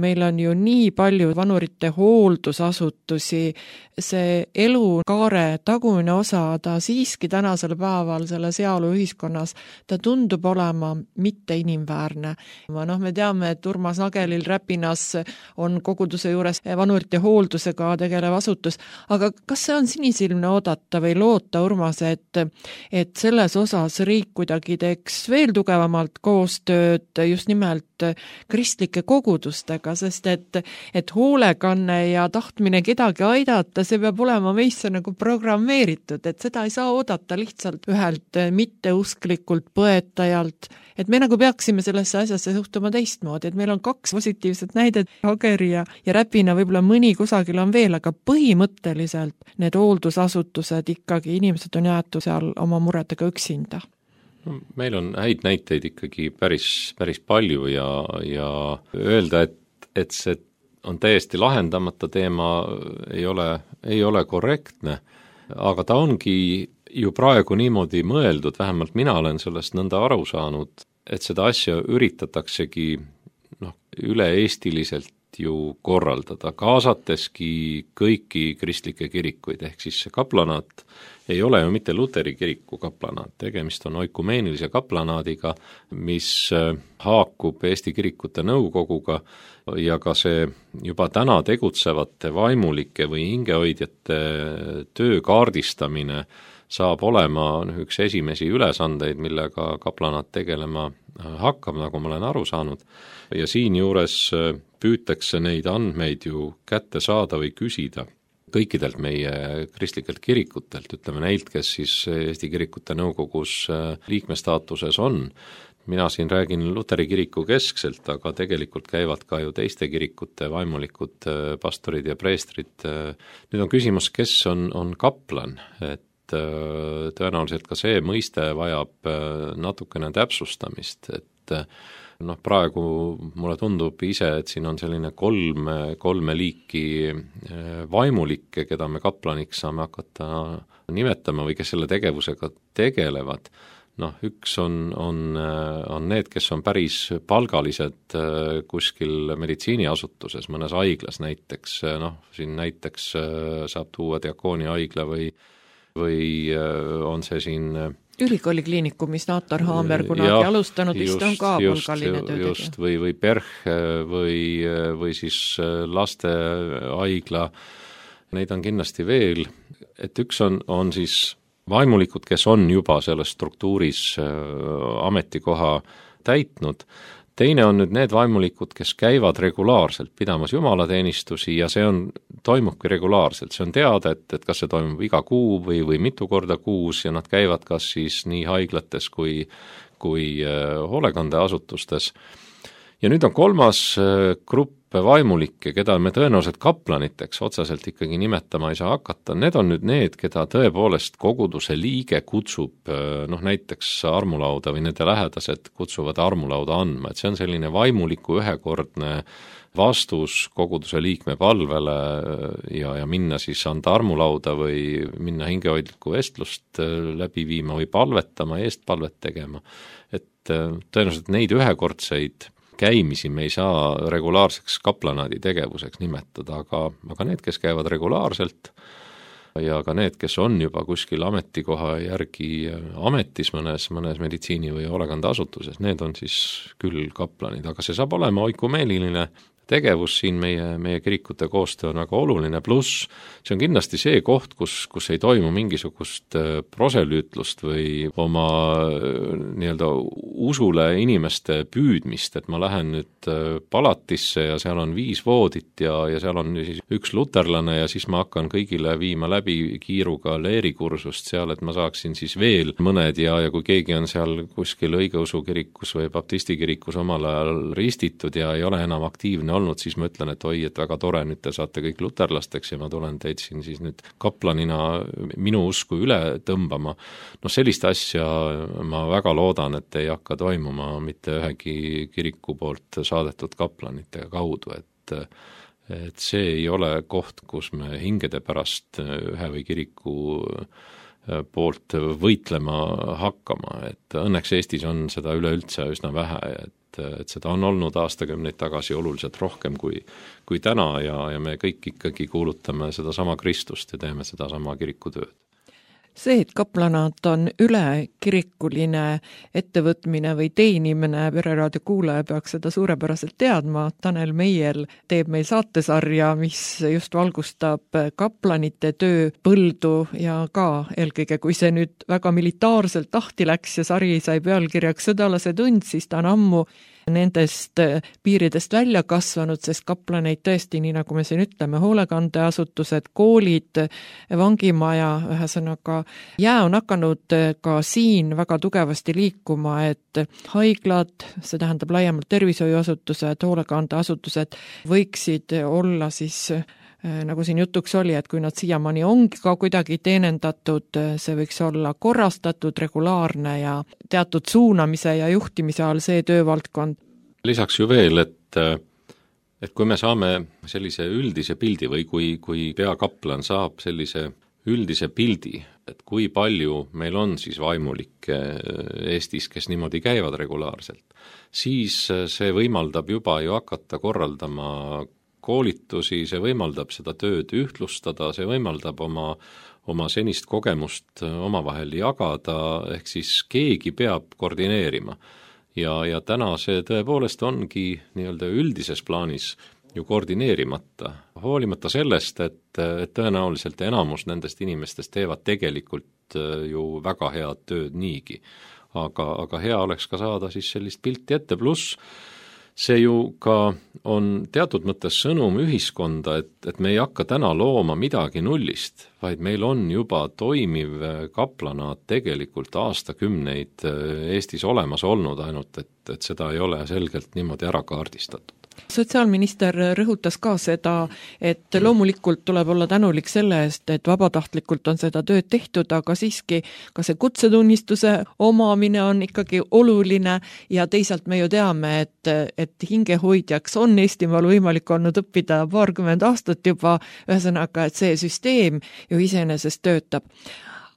S4: meil on ju nii palju vanurite hooldusasutusi, see elukaare tagumine osa, ta siiski tänasel päeval selles heaoluühiskonnas, ta tundub olema mitte inimväärne. Me teame, et Urmas Nagelil Räpinas on koguduse juures vanurite hooldusega tegelev asutus, aga kas see on sinisilmne oodata või loota, Urmas, et selles osas riik kuidagi teeks veel tugevamalt koostööd just nimelt kristlike kogudustega, sest et hoolekanne ja tahtmine kedagi aidata, see peab olema meisse nagu programmeeritud, et seda ei saa oodata lihtsalt ühelt mitteusklikult põetajalt, et me nagu peaksime sellesse asjasse suhtuma teistmoodi, et meil on 2 positiivset näidet, Ageri ja Räpina, võib-olla mõni kusagil on veel, aga põhimõtteliselt need hooldusasutused ikkagi, inimesed on jäetud seal oma muredega üksinda.
S5: Meil on häid näiteid ikkagi päris palju ja öelda, et see on täiesti lahendamata teema, ei ole korrektne, aga ta ongi ju praegu niimoodi mõeldud, vähemalt mina olen sellest nõnda aru saanud, et seda asja üritataksegi üle-eestiliselt ju korraldada, kaasateski kõiki kristlikke kirikuid, ehk siis see kaplanaat ei ole ju mitte Luteri kiriku kaplanaat, tegemist on oikumeenilise kaplanaadiga, mis haakub Eesti Kirikute Nõukoguga ja ka see juba täna tegutsevate vaimulike või hingehoidjate töö kaardistamine saab olema üks esimesi ülesandeid, millega kaplanaat tegelema hakkab, nagu ma olen aru saanud, ja siinjuures püütakse neid andmeid ju kätte saada või küsida kõikidelt meie kristlikelt kirikutelt, ütleme neilt, kes siis Eesti Kirikute Nõukogus liikmestaatuses on. Mina siin räägin Luteri kiriku keskselt, aga tegelikult käivad ka ju teiste kirikute vaimulikud pastorid ja preestrid. Nüüd on küsimus, kes on kaplan, et tõenäoliselt ka see mõiste vajab natukene täpsustamist, et praegu mulle tundub ise, et siin on selline kolme liiki vaimulikke, keda me kaplaniks saame hakata nimetama või kes selle tegevusega tegelevad. Üks on need, kes on päris palgalised kuskil meditsiiniasutuses, mõnes haiglas näiteks, siin näiteks saab tuua Diakooni haigla või on see siin
S4: Ülikooli kliinikumis Naatar Haamer kunagi alustanud, vist on ka palgaline töötegija.
S5: Just, või PERH või siis lastehaigla, neid on kindlasti veel, et üks on siis vaimulikud, kes on juba selles struktuuris ametikoha täitnud. Teine on nüüd need vaimulikud, kes käivad regulaarselt pidamas jumalateenistusi ja see toimubki regulaarselt. See on teada, et kas see toimub iga kuu või mitu korda kuus ja nad käivad kas siis nii haiglates kui hoolekandeasutustes. Ja nüüd on kolmas grupp vaimulikke, keda me tõenäoliselt kaplaniteks otseselt ikkagi nimetama ei saa hakata. Need on nüüd need, keda tõepoolest koguduse liige kutsub näiteks armulauda või nende lähedased kutsuvad armulauda andma, et see on selline vaimuliku ühekordne vastus koguduse liikme palvele ja minna siis anda armulauda või minna hingehoidlikku vestlust läbi viima või palvetama, eestpalvet tegema. Et tõenäoliselt neid ühekordseid käimisi me ei saa regulaarseks kaplanaadi tegevuseks nimetada, aga need, kes käivad regulaarselt ja ka need, kes on juba kuskil ametikoha järgi ametis mõnes meditsiini- või hoolekandeasutuses, need on siis küll kaplanid, aga see saab olema oikumeeliline tegevus siin meie kirikute koostöö on väga oluline, pluss see on kindlasti see koht, kus ei toimu mingisugust proselüütlust või oma nii-öelda usule inimeste püüdmist, et ma lähen nüüd palatisse ja seal on 5 voodit ja seal on siis 1 luterlane ja siis ma hakkan kõigile viima läbi kiiruga leerikursust seal, et ma saaksin siis veel mõned ja kui keegi on seal kuskil õigeusu kirikus või baptisti kirikus omal ajal ristitud ja ei ole enam aktiivne olnud, siis ma ütlen, et oi, et väga tore, nüüd te saate kõik luterlasteks ja ma tulen teid siin siis nüüd kaplanina minu usku üle tõmbama. Sellist asja ma väga loodan, et ei hakka toimuma mitte ühegi kiriku poolt saadetud kaplanite kaudu, et see ei ole koht, kus me hingede pärast ühe või kiriku poolt võitlema hakkama, et õnneks Eestis on seda üleüldse üsna vähe, et seda on olnud aastakümneid tagasi oluliselt rohkem kui täna ja me kõik ikkagi kuulutame seda sama Kristust ja teeme seda sama kirikutööd.
S4: See, et kaplanaat on ülekirikuline ettevõtmine või teenimine, Pereraadio kuulaja peaks seda suurepäraselt teadma. Tanel Meiel teeb meil saatesarja, mis just valgustab kaplanite töö põldu ja ka eelkõige, kui see nüüd väga militaarselt tahti läks ja sari sai pealkirjaks Sõdalase tund, siis ta on ammu nendest piiridest välja kasvanud, sest kaplaneid tõesti, nii nagu me siin ütleme, hoolekandeasutused, koolid, vangimaja, ühesõnaga jää on hakanud ka siin väga tugevasti liikuma, et haiglad, see tähendab laiemalt tervishoiuasutused, hoolekandeasutused võiksid olla siis nagu siin jutuks oli, et kui nad siiamaani ongi ka kuidagi teenendatud, see võiks olla korrastatud, regulaarne ja teatud suunamise ja juhtimise all see töövaldkond.
S5: Lisaks ju veel, et kui me saame sellise üldise pildi või kui peakaplan saab sellise üldise pildi, et kui palju meil on siis vaimulikke Eestis, kes niimoodi käivad regulaarselt, siis see võimaldab juba ju hakata korraldama koolitusi, see võimaldab seda tööd ühtlustada, see võimaldab oma senist kogemust omavahel jagada, ehk siis keegi peab koordineerima. Ja täna see tõepoolest ongi nii-öelda üldises plaanis ju koordineerimata, hoolimata sellest, et tõenäoliselt enamus nendest inimestest teevad tegelikult ju väga head tööd niigi. Aga hea oleks ka saada siis sellist pilti ette, pluss see ju ka on teatud mõttes sõnum ühiskonda, et me ei hakka täna looma midagi nullist, vaid meil on juba toimiv kaplanaat tegelikult aastakümneid Eestis olemas olnud, ainult et seda ei ole selgelt niimoodi ära kaardistatud.
S4: Sotsiaalminister rõhutas ka seda, et loomulikult tuleb olla tänulik selle eest, et vabatahtlikult on seda tööd tehtud, aga siiski ka see kutsetunnistuse omamine on ikkagi oluline ja teisalt me ju teame, et hingehoidjaks on Eestimaal võimalik olnud õppida 20 aastat juba, ühesõnaga, et see süsteem ju iseenesest töötab.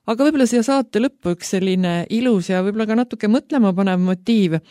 S4: Aga võib-olla siia saate lõppu üks selline ilus ja võib-olla ka natuke mõtlema panev motiiv,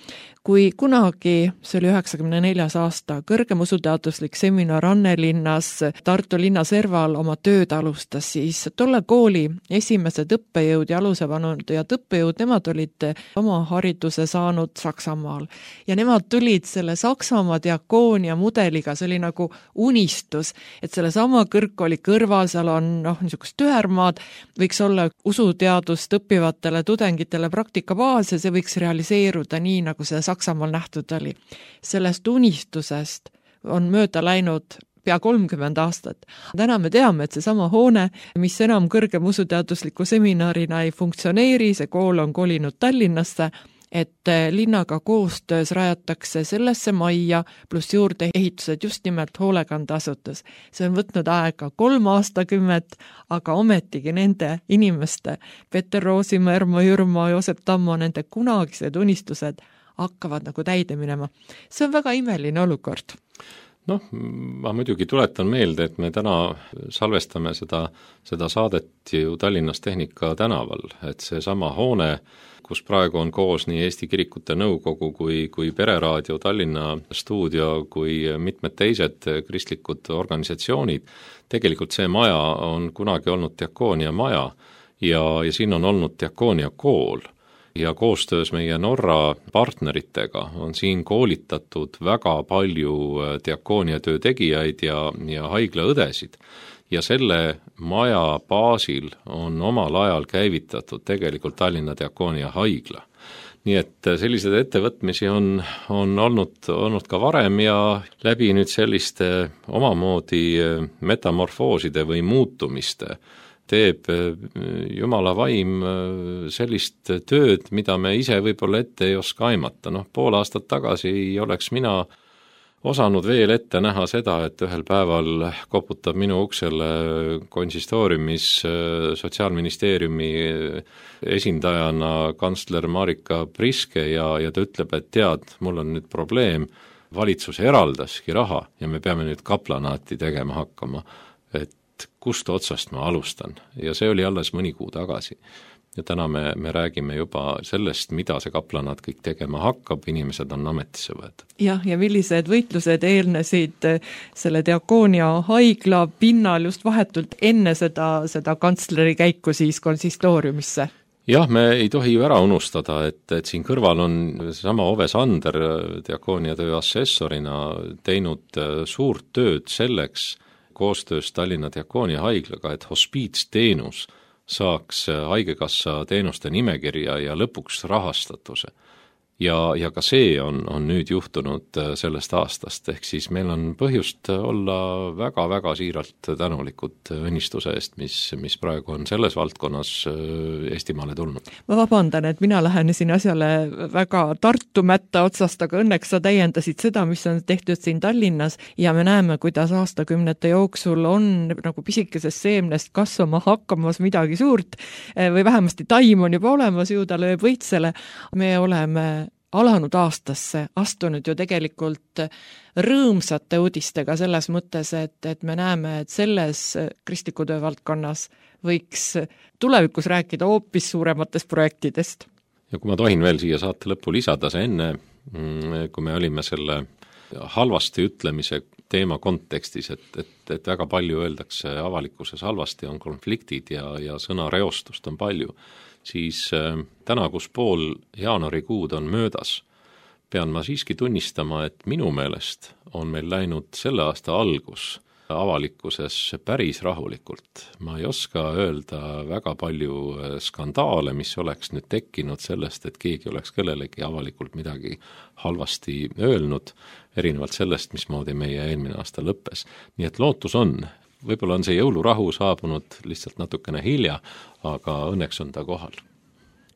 S4: kui kunagi, see oli 94. aasta, kõrgem usuteaduslik seminar Annelinnas Tartu linna serval oma tööd alustas, siis tolle kooli esimesed õppejõud ja alusevanujad õppejõud, nemad olid oma hariduse saanud Saksamaal. Ja nemad tulid selle Saksamaa diakoonia mudeliga, see oli nagu unistus, et selle sama kõrgkooli kõrval, seal on niisugust tühermaad, võiks olla usuteadust õppivatele tudengitele praktikabaas ja see võiks realiseeruda nii, nagu see Saksamaal nähtud oli. Sellest unistusest on mööda läinud pea 30 aastat. Täna me teame, et see sama hoone, mis enam kõrgem usuteadusliku seminarina ei funktsioneeri, see kool on kolinud Tallinnasse, et linnaga koostöös rajatakse sellesse majja pluss juurde ehitused just nimelt hoolekandeasutus. See on võtnud aega 3 aastakümmet, aga ometigi nende inimeste, Peter Roosimaa, Ermo Jürma, Joosep Tammo, nende kunagised unistused hakkavad nagu täide minema. See on väga imeline olukord.
S5: Noh, ma muidugi tuletan meelde, et me täna salvestame seda saadet ju Tallinnas Tehnika tänaval, et see sama hoone, kus praegu on koos nii Eesti Kirikute Nõukogu kui Pereraadio Tallinna stuudio kui mitmed teised kristlikud organisatsioonid, tegelikult see maja on kunagi olnud Diakoonia maja ja siin on olnud Diakoonia kool. Ja koostöös meie Norra partneritega on siin koolitatud väga palju diakoonia töö tegijaid ja haiglaõdesid. Ja selle maja baasil on omal ajal käivitatud tegelikult Tallinna Diakoonia haigla. Nii et sellised ettevõtmisi on olnud ka varem ja läbi nüüd selliste omamoodi metamorfooside või muutumiste teeb Jumala vaim sellist tööd, mida me ise võib-olla ette ei oska aimata. Pool aastat tagasi ei oleks mina osanud veel ette näha seda, et ühel päeval koputab minu uksele konsistooriumis Sotsiaalministeeriumi esindajana kantsler Marika Priske ja ta ütleb, et tead, mul on nüüd probleem, valitsus eraldaski raha ja me peame nüüd kaplanaati tegema hakkama, et kust otsast ma alustan ja see oli alles mõni kuu tagasi. Ja täna me räägime juba sellest, mida see kaplanaat kõik tegema hakkab, inimesed on ametisse võetud.
S4: Ja millised võitlused eelnesid selle Diakoonia haigla pinnal just vahetult enne seda kantsleri käiku siis konsistooriumisse?
S5: Jah, me ei tohi ju ära unustada, et siin kõrval on sama Ove Sander Diakoonia töö assessorina teinud suurt tööd selleks, koostöös Tallinna Diakoonia haiglaga, et hospiitsteenus saaks haigekassa teenuste nimekirja ja lõpuks rahastatuse. Ja ka see on nüüd juhtunud sellest aastast, ehk siis meil on põhjust olla väga-väga siiralt tänulikud õnnistuse eest, mis praegu on selles valdkonnas Eestimaale tulnud.
S4: Ma vabandan, et mina lähenesin asjale väga Tartu mätta otsast, aga õnneks sa täiendasid seda, mis on tehtud siin Tallinnas ja me näeme, kuidas aastakümnete jooksul on nagu pisikesest seemnest kasvama hakkamas midagi suurt või vähemasti taim on juba olemas, ju ta lööb võitsele. Me oleme alanud aastasse astunud ju tegelikult rõõmsate uudistega selles mõttes, et me näeme, et selles kristliku töö valdkonnas võiks tulevikus rääkida hoopis suurematest projektidest.
S5: Ja kui ma tohin veel siia saate lõppu lisada, see enne, kui me olime selle halvasti ütlemise teema kontekstis, et väga palju öeldakse avalikkuses halvasti, on konfliktid ja sõnareostust on palju, siis täna, kus pool jaanuarikuud on möödas, pean ma siiski tunnistama, et minu meelest on meil läinud selle aasta algus avalikkuses päris rahulikult. Ma ei oska öelda väga palju skandaale, mis oleks nüüd tekkinud sellest, et keegi oleks kellelegi avalikult midagi halvasti öelnud, erinevalt sellest, mismoodi meie eelmine aasta lõppes. Nii et lootus on. Võib-olla on see jõulurahu saabunud lihtsalt natukene hilja, aga õnneks on ta kohal.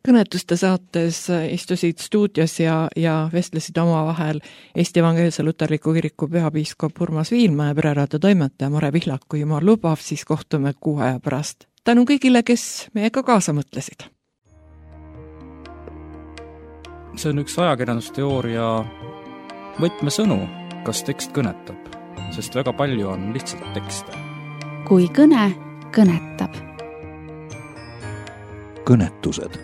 S4: Kõnetuste saates istusid stuudios ja vestlesid omavahel Eesti Evangeelse Luterliku Kiriku peapiiskop Urmas Viilma ja Pereraadio toimetaja Mare Pihlak, kui jumal lubab, siis kohtume 6 aja pärast. Tänu kõigile, kes meiega kaasa mõtlesid.
S2: See on üks ajakirjandusteooria võtmesõnu, kas tekst kõnetab, sest väga palju on lihtsalt tekste.
S3: Kui kõne kõnetab.
S1: Kõnetused.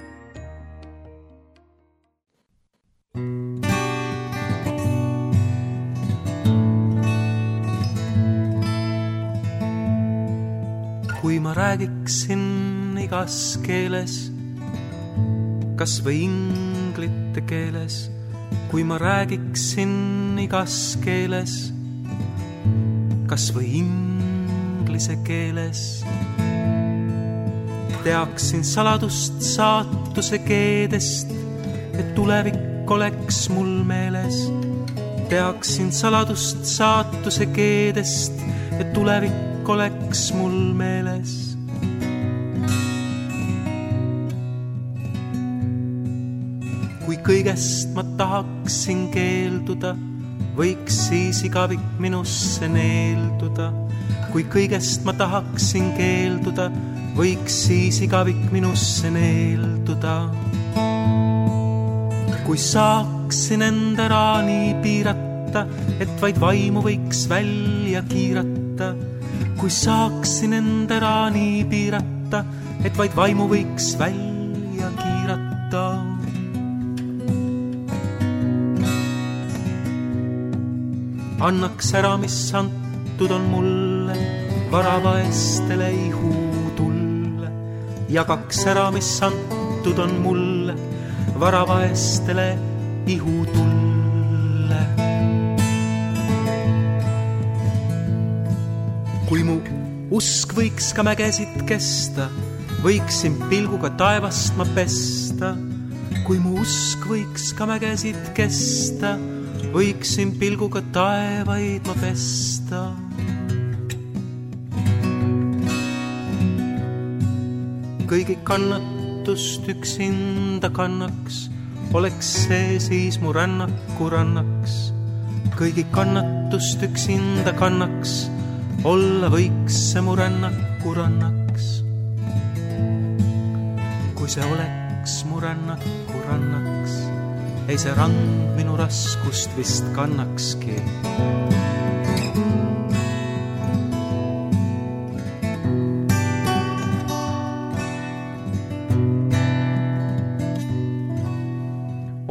S6: Kui ma räägiksin igas keeles, kas või inglite keeles, kui ma räägiksin igas keeles, kas või inglise keeles, teaksin saladust saatuse keedest, et tulevik oleks mul meeles. Teaksin saladust saatuse keedest, et tulevik oleks mul meeles. Kui kõigest ma tahaksin keelduda, võiks siis igavik minusse neelduda. Kui kõigest ma tahaksin keelduda, võiks siis igavik minusse neelduda. Kui saaksin enda raani piirata piirata, et vaid vaimu võiks välja kiirata. Kui saaksin enda raani piirata, et vaid vaimu võiks välja kiirata. Annaks ära, mis antud on mulle, varavaestele ihutulle. Jagaks ära, mis antud on mulle, varavaestele ihutulle. Kui mu usk võiks ka mägesid kesta, võiksin pilguga taevast ma pesta. Kui mu usk võiks ka mägesid kesta, võiksin pilguga taevaid ma pesta. Kõigi kannatust üksinda kannaks, oleks see siis mu rännaku rannaks. Kõigi kannatust üksinda kannaks, olla võiks see mu rännaku rannaks. Kui see oleks mu rännaku rannaks, ei see rand minu raskust vist kannakski.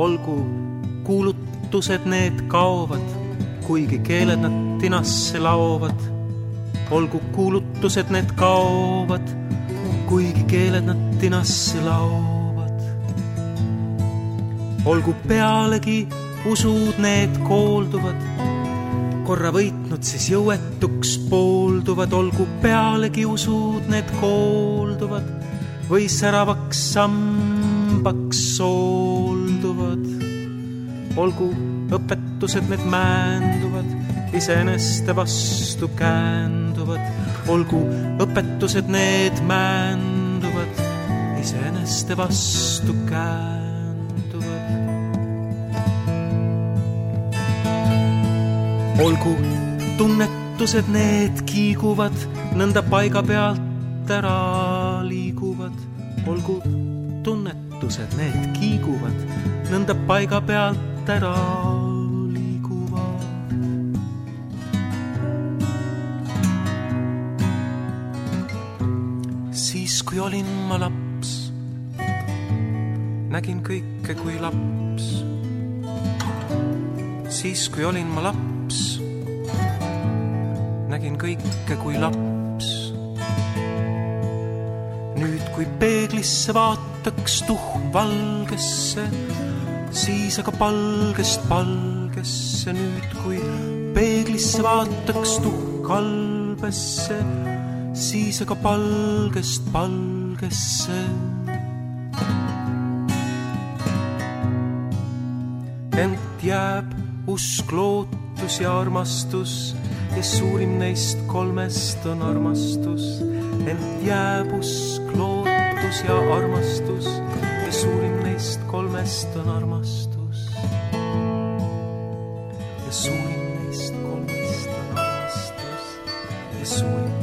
S6: Olgu kuulutused need kaovad, kuigi keeled nad tinasse laovad. Olgu kuulutused need kaovad, kuigi keeled nad tinasse laovad. Olgu pealegi usud need koolduvad, korra võitnud siis jõuetuks poolduvad. Olgu pealegi usud need koolduvad või säravaks sambaks soolduvad. Olgu õpetused need määnduvad, iseeneste vastu käänduvad. Olgu õpetused need määnduvad, iseeneste vastu käänduvad. Olgu tunnetused need kiiguvad, nõnda paiga pealt ära liiguvad. Olgu tunnetused need kiiguvad, nõnda paiga pealt ära liiguvad. Siis kui olin ma laps, nägin kõike kui laps. Siis kui olin ma laps, nägin kõike kui laps. Nüüd kui peeglisse vaataks tuhm valgesse, siis aga palgest palgesse. Nüüd kui peeglisse vaataks tuhm kalbesse, siis aga palgest palgesse. Ent jääb usk, lootus ja armastus, ja suurim neist kolmest on armastus. Ent jääb usk, lootus ja armastus, ja suurim neist kolmest on armastus. Ja suurim neist kolmest on armastus, ja suurim